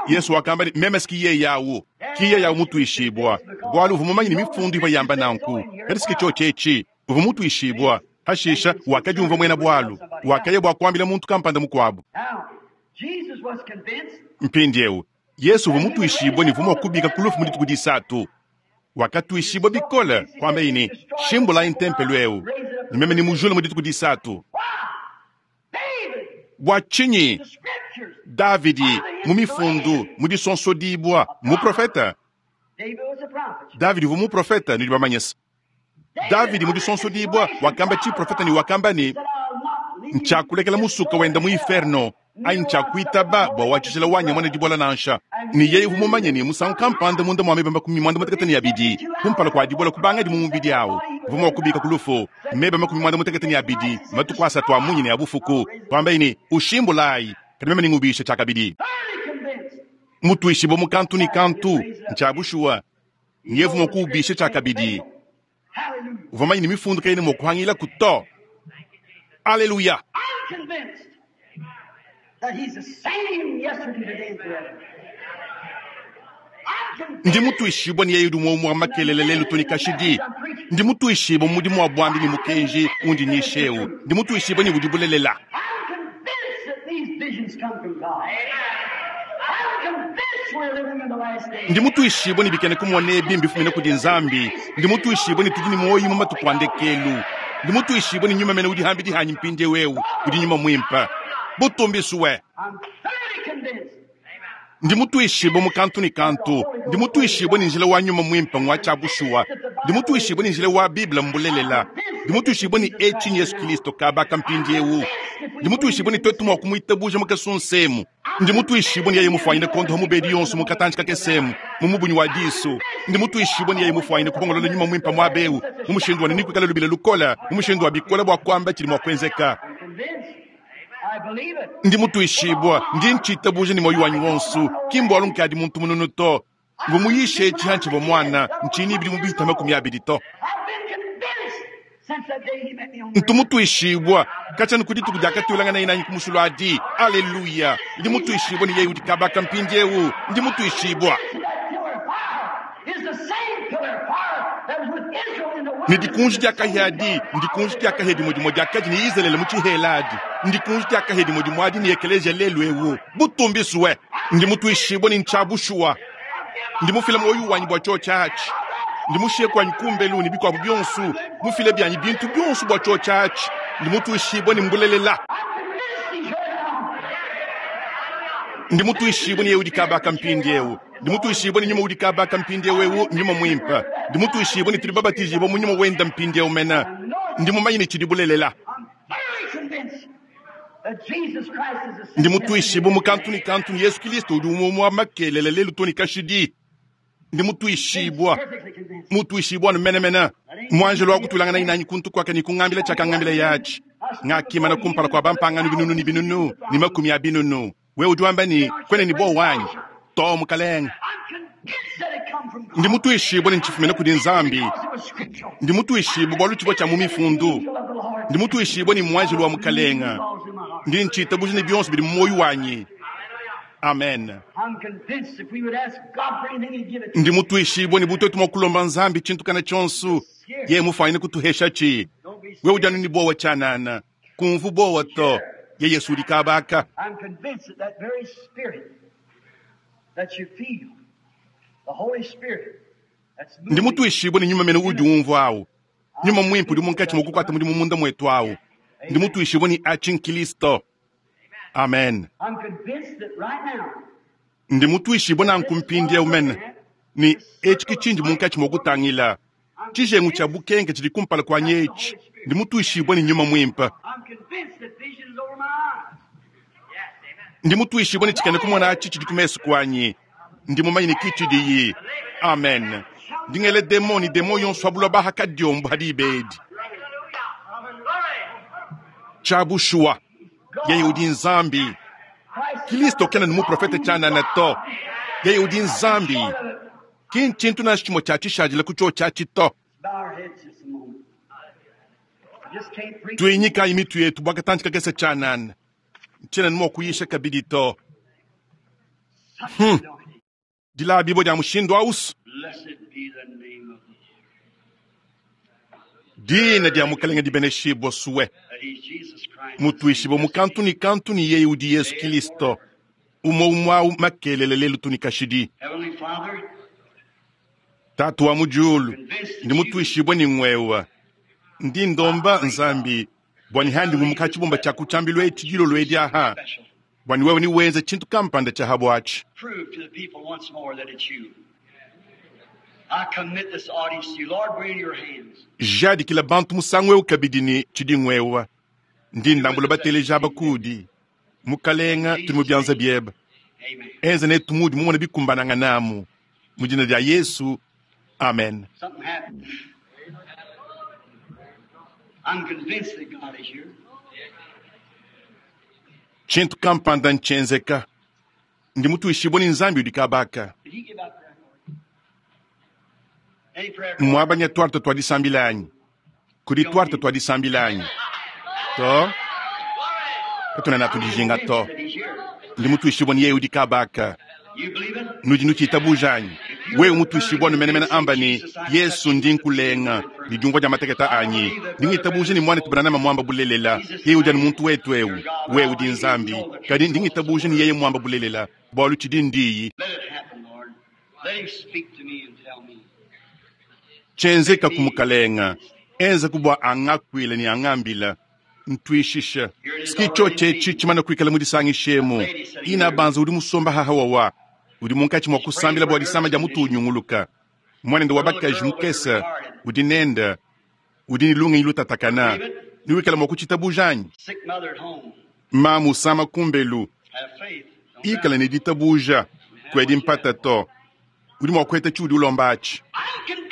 Yesu wakamba ni meme ski ye yawu. Kiye yawu mutuishibwa. Bwalo uvamanyi ni mifundu iva yamba nanku. Kadi siki cho chechi. Uva mutuishibwa. Hashisha wakajumva mwena bwalo. Wakaye bwa kwambila muntu kampanda mukwabu. Mpindieu Yesu uvua mutuishibue ne uvua mua kubika ku lufu mu dituku disatu. Wakatuishibua bikole, kuambaye ne, Shimbulayi ntempelo eu, ne meme nemujule mu dituku disatu. Bua tshinyi? Davidi mu mifundu, mu disonsodibua, muprofeta. Davidi uvua muprofeta, nudi bamanye se. Davidi mu disonsodibua wakamba tshiprofeta ne wakamba ne, ntshiakulekela musuka wenda mu inferno, anyi ntshiakuitaba bua wa tshijila wanyi amone dibola nansha. Ne yeye uvua mumanye ne musangu kampanda munda mua meba makumi muanda mutekete ne abidi kumpala kua dibola kubangadi mu mubidi awu, uvua mua kubika ku lufu meba makumi muanda mutekete ne abidi matuku asatu a munyi ne a bufuku, kuambaye ne, ushimbulayi, kadi meme ningubishe tshiakabidi. Mutuishibue mu kantu ne kantu, ntshia bushuwa, nyevu mua kuubisha tshiakabidi. Uvua mumanye ne mifundu kayena mua kuhangilaku to. Aleluya! Ndi mutuishibue ne yeye udi muomumue makelele lelu to ne kashidi. Ndi mutuishibue mu mudimu wa buambi ne mukenji undi nyisha eu. Ndi mutuishibue ne udi bulelela. Ndi mutuishibue ne bikena kumona ebi mbifumine kudi Nzambi. Ndi mutuishibue ne tudi ne muoyo mu matuku a ndekelu. Ndi mutuishibue ne nyuma mene udi hambidi hanyi mpindieu eu udi nyuma muimpe. Butumbisue. Ndi mutuishibue mu kantu ne kantu. Ndi mutuishibue ne njila wa nyuma muimpe ngwa tshia bushuwa. Ndi mutuishibue ne njila wa Bible mbulelela. Ndi mutuishibue ne etshi Yesu Kristo kabaka mpindieu. Ndi mutuishibue ne twetu mua kumuitabuja mu kasunsemu. Ndi mutuishibue ne yeye mufuanyine kondoha mubedi yonso mu katanji kakesemu mu mubunyi wa disu. Ndi mutuishibue ne yeye mufuanyine kupongolola nyuma muimpe muaba eu mu mushindu wa ne nikuikala lubila lukola, mu mushindu wa bikola bua kuamba tshidi mua kuenzeka. Ndi mutuishibue, ndi ntshitabuja ne muoyo wanyi wonso, ki mbualu nkadi muntu mununu to. Mvua muyishe etshi hantshivua muana, ntshini bidi mubihita makumi abidi to. Ntu mutuishibue katshia ku dituku diakatulanganaye nanyi ku musulu adi. Aleluya! Ndi mutuishibue ne yeye udi kabaka mpindieu. Ndi mutuishibue ne dikunji dia kahia adi, ndikunji dia kahia dimue dimue diakadi ne Izalele mu tshihela adi, ndikunji dia kahia dimue dimue adi ne ekeleziya lelu eu. Butumbisue. Ndi mutuishibue ne ntshia bushuwa. Ndi mufile muoyo wanyi bua tshiotshi atshi. Ndi mushiye kuanyi kumbelu ne bikuabu bionso, mufile bianyi bintu bionso bua tshiotshi atshi. Ndi mutuishibue ne mbulelela. Ndi mutuishibue ne yeye udi kabaka mpindieu. Ndi mutuishibue ne nyuma udi kabaka mpindieu eu, nyuma muimpe. Ndi mutuishibue ne tudi babatijibue mu nyuma wenda mpindieu mena. Ndi mumanye ne tshidi bulelela. Ndi mutuishibue mu kantu ne kantu ne Yesu Kristo udi umwe wa makelele lelu to ne kashidi. Ndi mutuishibue, mutuishibue anu menemene. Muanjelo wa kutulangana nanyi kuntu kwaka ne kungambila tshiakangambila yatshi. Ngakimana kumpala kua bampangano binunu ne binunu ne makumi a binunu. Wewe udi wamba ne kwena ne bo wanyi to mukalenge. Ndi mutuishibue ne ntshifumina kudi Nzambi. Ndi mutuishibue bualu tshivua tshia mu mifundu. Ndi mutuishibue ne muanjelo wa mukalenga. Ndi ntshitabuja ne bionso bidi mu muoyo wanyi. Amen. Ndi mutuishibue ne butetu mua kulomba Nzambi tshintu kana tshionso, yeye mufuanyine kutuhesha tshi. Wewe udi anu ne bowa tshianana, kumvu bowa to, ye Yesu udi kabaka. Ndi mutuishibue ne nyuma mene udi umvua awu. Nyuma muimpe udi munkatshi mua kukuata mudimu munda mwetu awu. Ndi mutuishibue ne atshi Nkristo. Amen. Ndi mutuishibue nanku mpindieu mene ne etshi ke tshindi munkatshi mua kutangila. Tshijengu tshia bukenke tshidi kumpala kuanyi etshi. Ndi mutuishibue ne nyuma muimpe. Ndi mutuishibue ne tshikena kumona atshi tshidi ku mesu kuanyi. Ndi mumanye ne ki tshidiyi. Amen. Ndi ngele demo ne demo yonso abulwa baha kadiombo hadi ibedi. Tshia bushuwa. Yeye udi Nzambi. Kristo kena ne muprofete tshianana to. Yeye udi Nzambi. Ki ntshintu nansha tshimue tshia tshishadile ku tshiotshi atshi to. Tuinyikayi mitu yetu bua katantshi kakese tshianana. Ntshiena ne mua kuyisha kabidi to. Hmm. Dilabibua dia mushindu ausu. Dina dia Mukalenge dibeneshibua suwe. That he's Jesus Christ. Mutuishibua mu kantu ni kantu ni yeye udi Yesu Kristo. Umwe umwe awu makelele lelu tuni kashidi. Heavenly Father, Tatu wa mu diulu convinced ndi mutuishibue ni ngwewa. Ndi ndomba Nzambi bwani handi ngumuka chibumba cha kuchambilo eti dilolo edi aha. special. Bwani wewe ni wenze chintu kampanda cha habwachi. Prove to the people once more that it's you. I commit this audience to you. Lord, we're in your hands. Jadikila bantu musangu eu kabidi ni tshidi ngwewa. Ndi ndambula bateleja abakudi. Mukalenga tuli mu byanza byeba. Amen. Enze netu mudi mumona bikumbananga namu. Mu dina dia Yesu. Amen. Something happened. I'm convinced that God is here. Chintu kampanda nchenzeka. Ndi mutuishibua ni Nzambi udi kabaka. Did he give out prayer card? Any prayer card? Mwabanya twarta twadisambilanyi. Kudi twarta twadisambilanyi. To. Katuna I'm natudijinga convinced to. that he's here. Ndi mutuishibua ni yeye udi kabaka. You believe it? Nudi nuchitabujanyi. Wewe mutuishibua numenemene amba ni Yesu ndi nkulenga. Ni diumvua dia mateketa anyi. Ndi ngitabuja ni mwana tubanana mwamba bulelela. Yeye udi anu muntu wetu eu. Wewe udi Nzambi. Kadi ndi ngitabuja ni yeye mwamba bulelela. Bwalu tshidi ndiyi. Let it happen, Lord. Let him speak to me and tell me. Chenzeka kumukalenga. Enza kubwa angakwile ni angambila. Ntwishisha. Sikicho chechi chimana kuikala mudisangishemu. Ina banza udi musomba haha wawa. Udi munkachi mwa kusambila bwa disama dia mutu unyunguluka. Mwanende wa bakaji mukesa. Udi nenda. Udi ni lunga ilutatakana. Niwikala mwa kuchitabujanyi. Sick mother at home. Mamu sama kumbelu. Have faith. Don't Ikala doubt. ni ditabuja. Kwedi mpata to. Udi mwa kweta chudi ulombachi. I'm convinced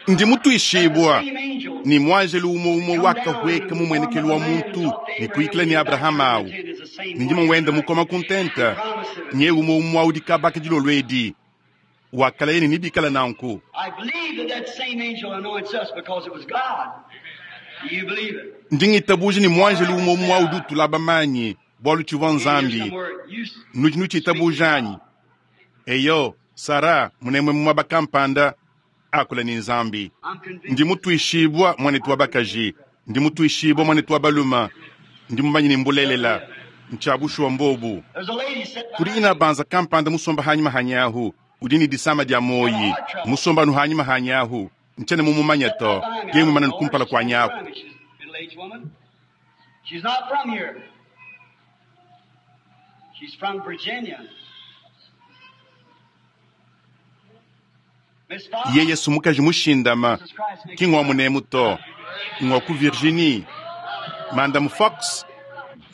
Ndi that the mutuishibwa. same angel Ni mwangelo umwe umwe come down wakahweka in the mu form mwenekelo of a wa man and muntu talked to ni Abraham kuikila when ni he got Abrahamu turned awu. the tent is the same Ni one ndima wenda tonight. mukoma He kuntenta. promised it. Nye umwe umwe udi kabaka dilolo edi. Wakala yene ni bikala nanku. I believe that that same angel anoints us because it was God. Do you believe it? Ndi ngitabuja ni mwangelo umwe umwe udi utulaba manyi bwalu tshivua In here Nzambi. somewhere, you Nudi speak to nuchitabujanyi. God. Eyo, Sara, munemwe mwaba kampanda akula ni Nzambi. I'm convinced. Ndi mutuishibwa mwanetu wa bakaji. Ndi mutuishibwa mwanetu wa baluma. Ndi mumanyi ni mbulelela. Nchabushwa mbobu. There's a lady sitting Kudi behind ina me. banza kampanda musomba hanyuma hanyahu. Udi ni disama dia Got a moyi. heart trouble. Musomba nu hanyuma hanyahu. Nchene mumumanya Sitting to. right behind me. I Yemwe don't mana know her. nukumpala She's kwa standing nyaku. behind me. She's a middle-aged woman. She's not from here. She's from Virginia. Miss Fox, Yeye sumukaji mushindama. Jesus Christ makes you Kingwa well. munemu to. Ngwa ku Virginie. Madam Fox.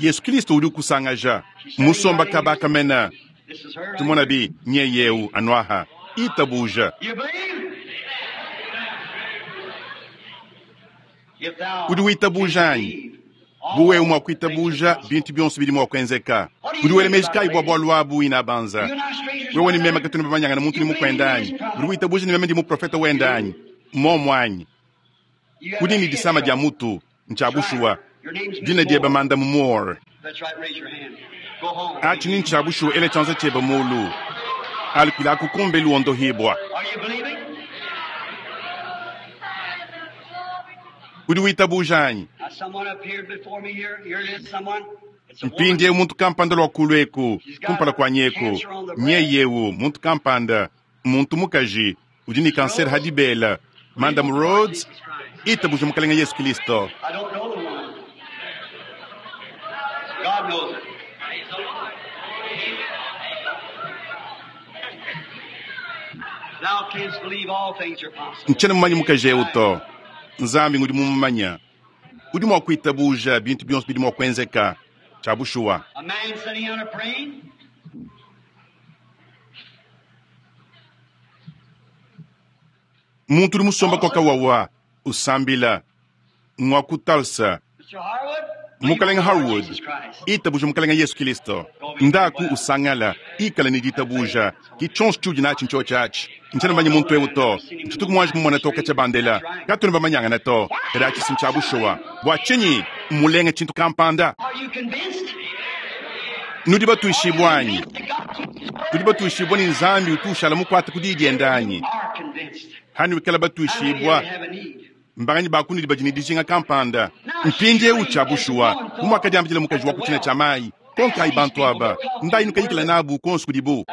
Yesu Kristo udi kusangaja. She's sitting Musomba right in here. kabaka mena. This is her right Tumona here. bi nyeyeu anwaha. Itabuja. You believe? If thou Udi canst witabujanyi. believe, Buwe all umwa things are kuitabuja possible. bintu byonse biri mwa kwenzeka. What do Udi you wele think meji about it, kai bwa lady? bwa lwabu ina banza. You and I strangers Wewe one ni mema another? katuni babanyanga na muntu You ni believe me mukwendanyi. as Udi prophet? witabuja ni mema ndi muprofeta You wendanyi. do? Momwanyi. You have Kudi a ni head disama dia trouble. mutu. That's right. Nchabushuwa. Your name's Miss Dina dieba Moore. manda mumore. That's right. Raise your hand. Go home. Achi ni nchabushuwa ele chanza cheba mulu. Alikila kukumbe luondo hibwa. Are you believing? Udi witabujanyi. Now, someone appeared before me here. Here it is, someone. It's a Mpindie woman. muntu kampanda lwa kulweku She's got kumpala kwa nyeku cancer on the breast. nyeyewu muntu kampanda muntu mukaji udi ni kanseri Rose, hadibela believe Madam on the Lord Rhodes Jesus Christ. itabuja mukalenga Yesu Kristo. I don't know the woman. God knows it. Thou canst believe all things are possible. Nchene mumanyi mukaji ewu to Nzambi ngudi mumumanya udi mwa kuitabuja bintu byonse bidi mwa kwenzeka chabushuwa. A man sitting on a praying. Muntu udi musomba kwa Tulsa, kawawa usambila ngwa ku Tulsa Mister Harwood, believe on mukalenga the Lord Harwood Jesus Christ. itabuja mukalenga Yesu Kristo Go be ndaku well. usangala ikala ni Have faith. ditabuja That's all. ki chonse chudi nachi ncho chachi I nchene don't manye know muntu the ewu man. to Never seen him in nchituku my mwanji life. mumona toka Stranger. cha bandela That's right. katuni bamanyanga na to Why? era chisi nchabushuwa bwa chinyi mulenga chintu kampanda Are you convinced? nudi Are you batuishibwanyi convinced that God keeps His tudi word? batuishibwa ni Nzambi utushala mukwata kudidi You endanyi are convinced. hani wikala How many here batuishibwa have a need? Mbanganyi ba kunudi badi ne dijinga kampanda mpindieu? Tshia bushuwa, bu muakadiambila mukaji wa ku tshina tshia mayi, konkayi bantu aba, ndayi nukayikila nabu kuonso kudibu.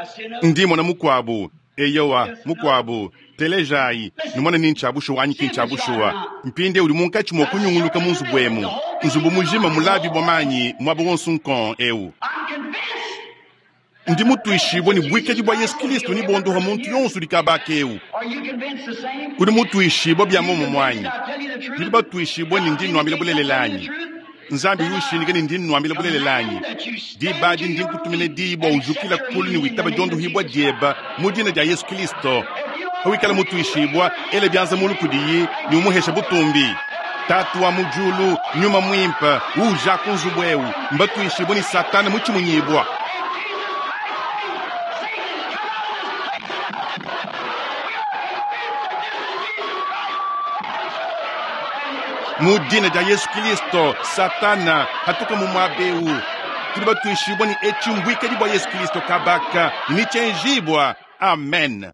Ndi mona mukuabu, eyowa, mukuabu. Telejayi, numone ni ntshia bushuwa anyi ki ntshia bushuwa. Mpindieu udi munkatshi mua kunyunguluka mu nzubu emu, nzubu mujima mulabibua manyi muaba wonso nkong eu. Ndi mutuishibue ne buikadi bua Yesu Kristo ne bondoha muntu yonso udi kaba eu. Udi mutuishibue bia muomumue anyi? Nudi batuishibue ne ndi nnuambila bulelela anyi? Nzambi udi ushindika ne ndi nnuambila bulelela anyi? Diba adi ndi nkutumina diyi bua ujukila kulu ne witaba diondohibua dieba mu dina dia Yesu Kristo. Pawikala mutuishibua, ela bianza mulu kudiyi ne umuhesha butumbi. Tatu wa mu diulu, Nyuma Muimpe, uuja ku nzubu eu, mbatuishibue ne Satana mutshimunyibua. Mu dina dia Yesu Kristo, Satana hatuka mu muaba eu. Tudi batuishibue ne etshi mbuikadi bua Yesu Kristo kabaka ne tshienjibua. Amen.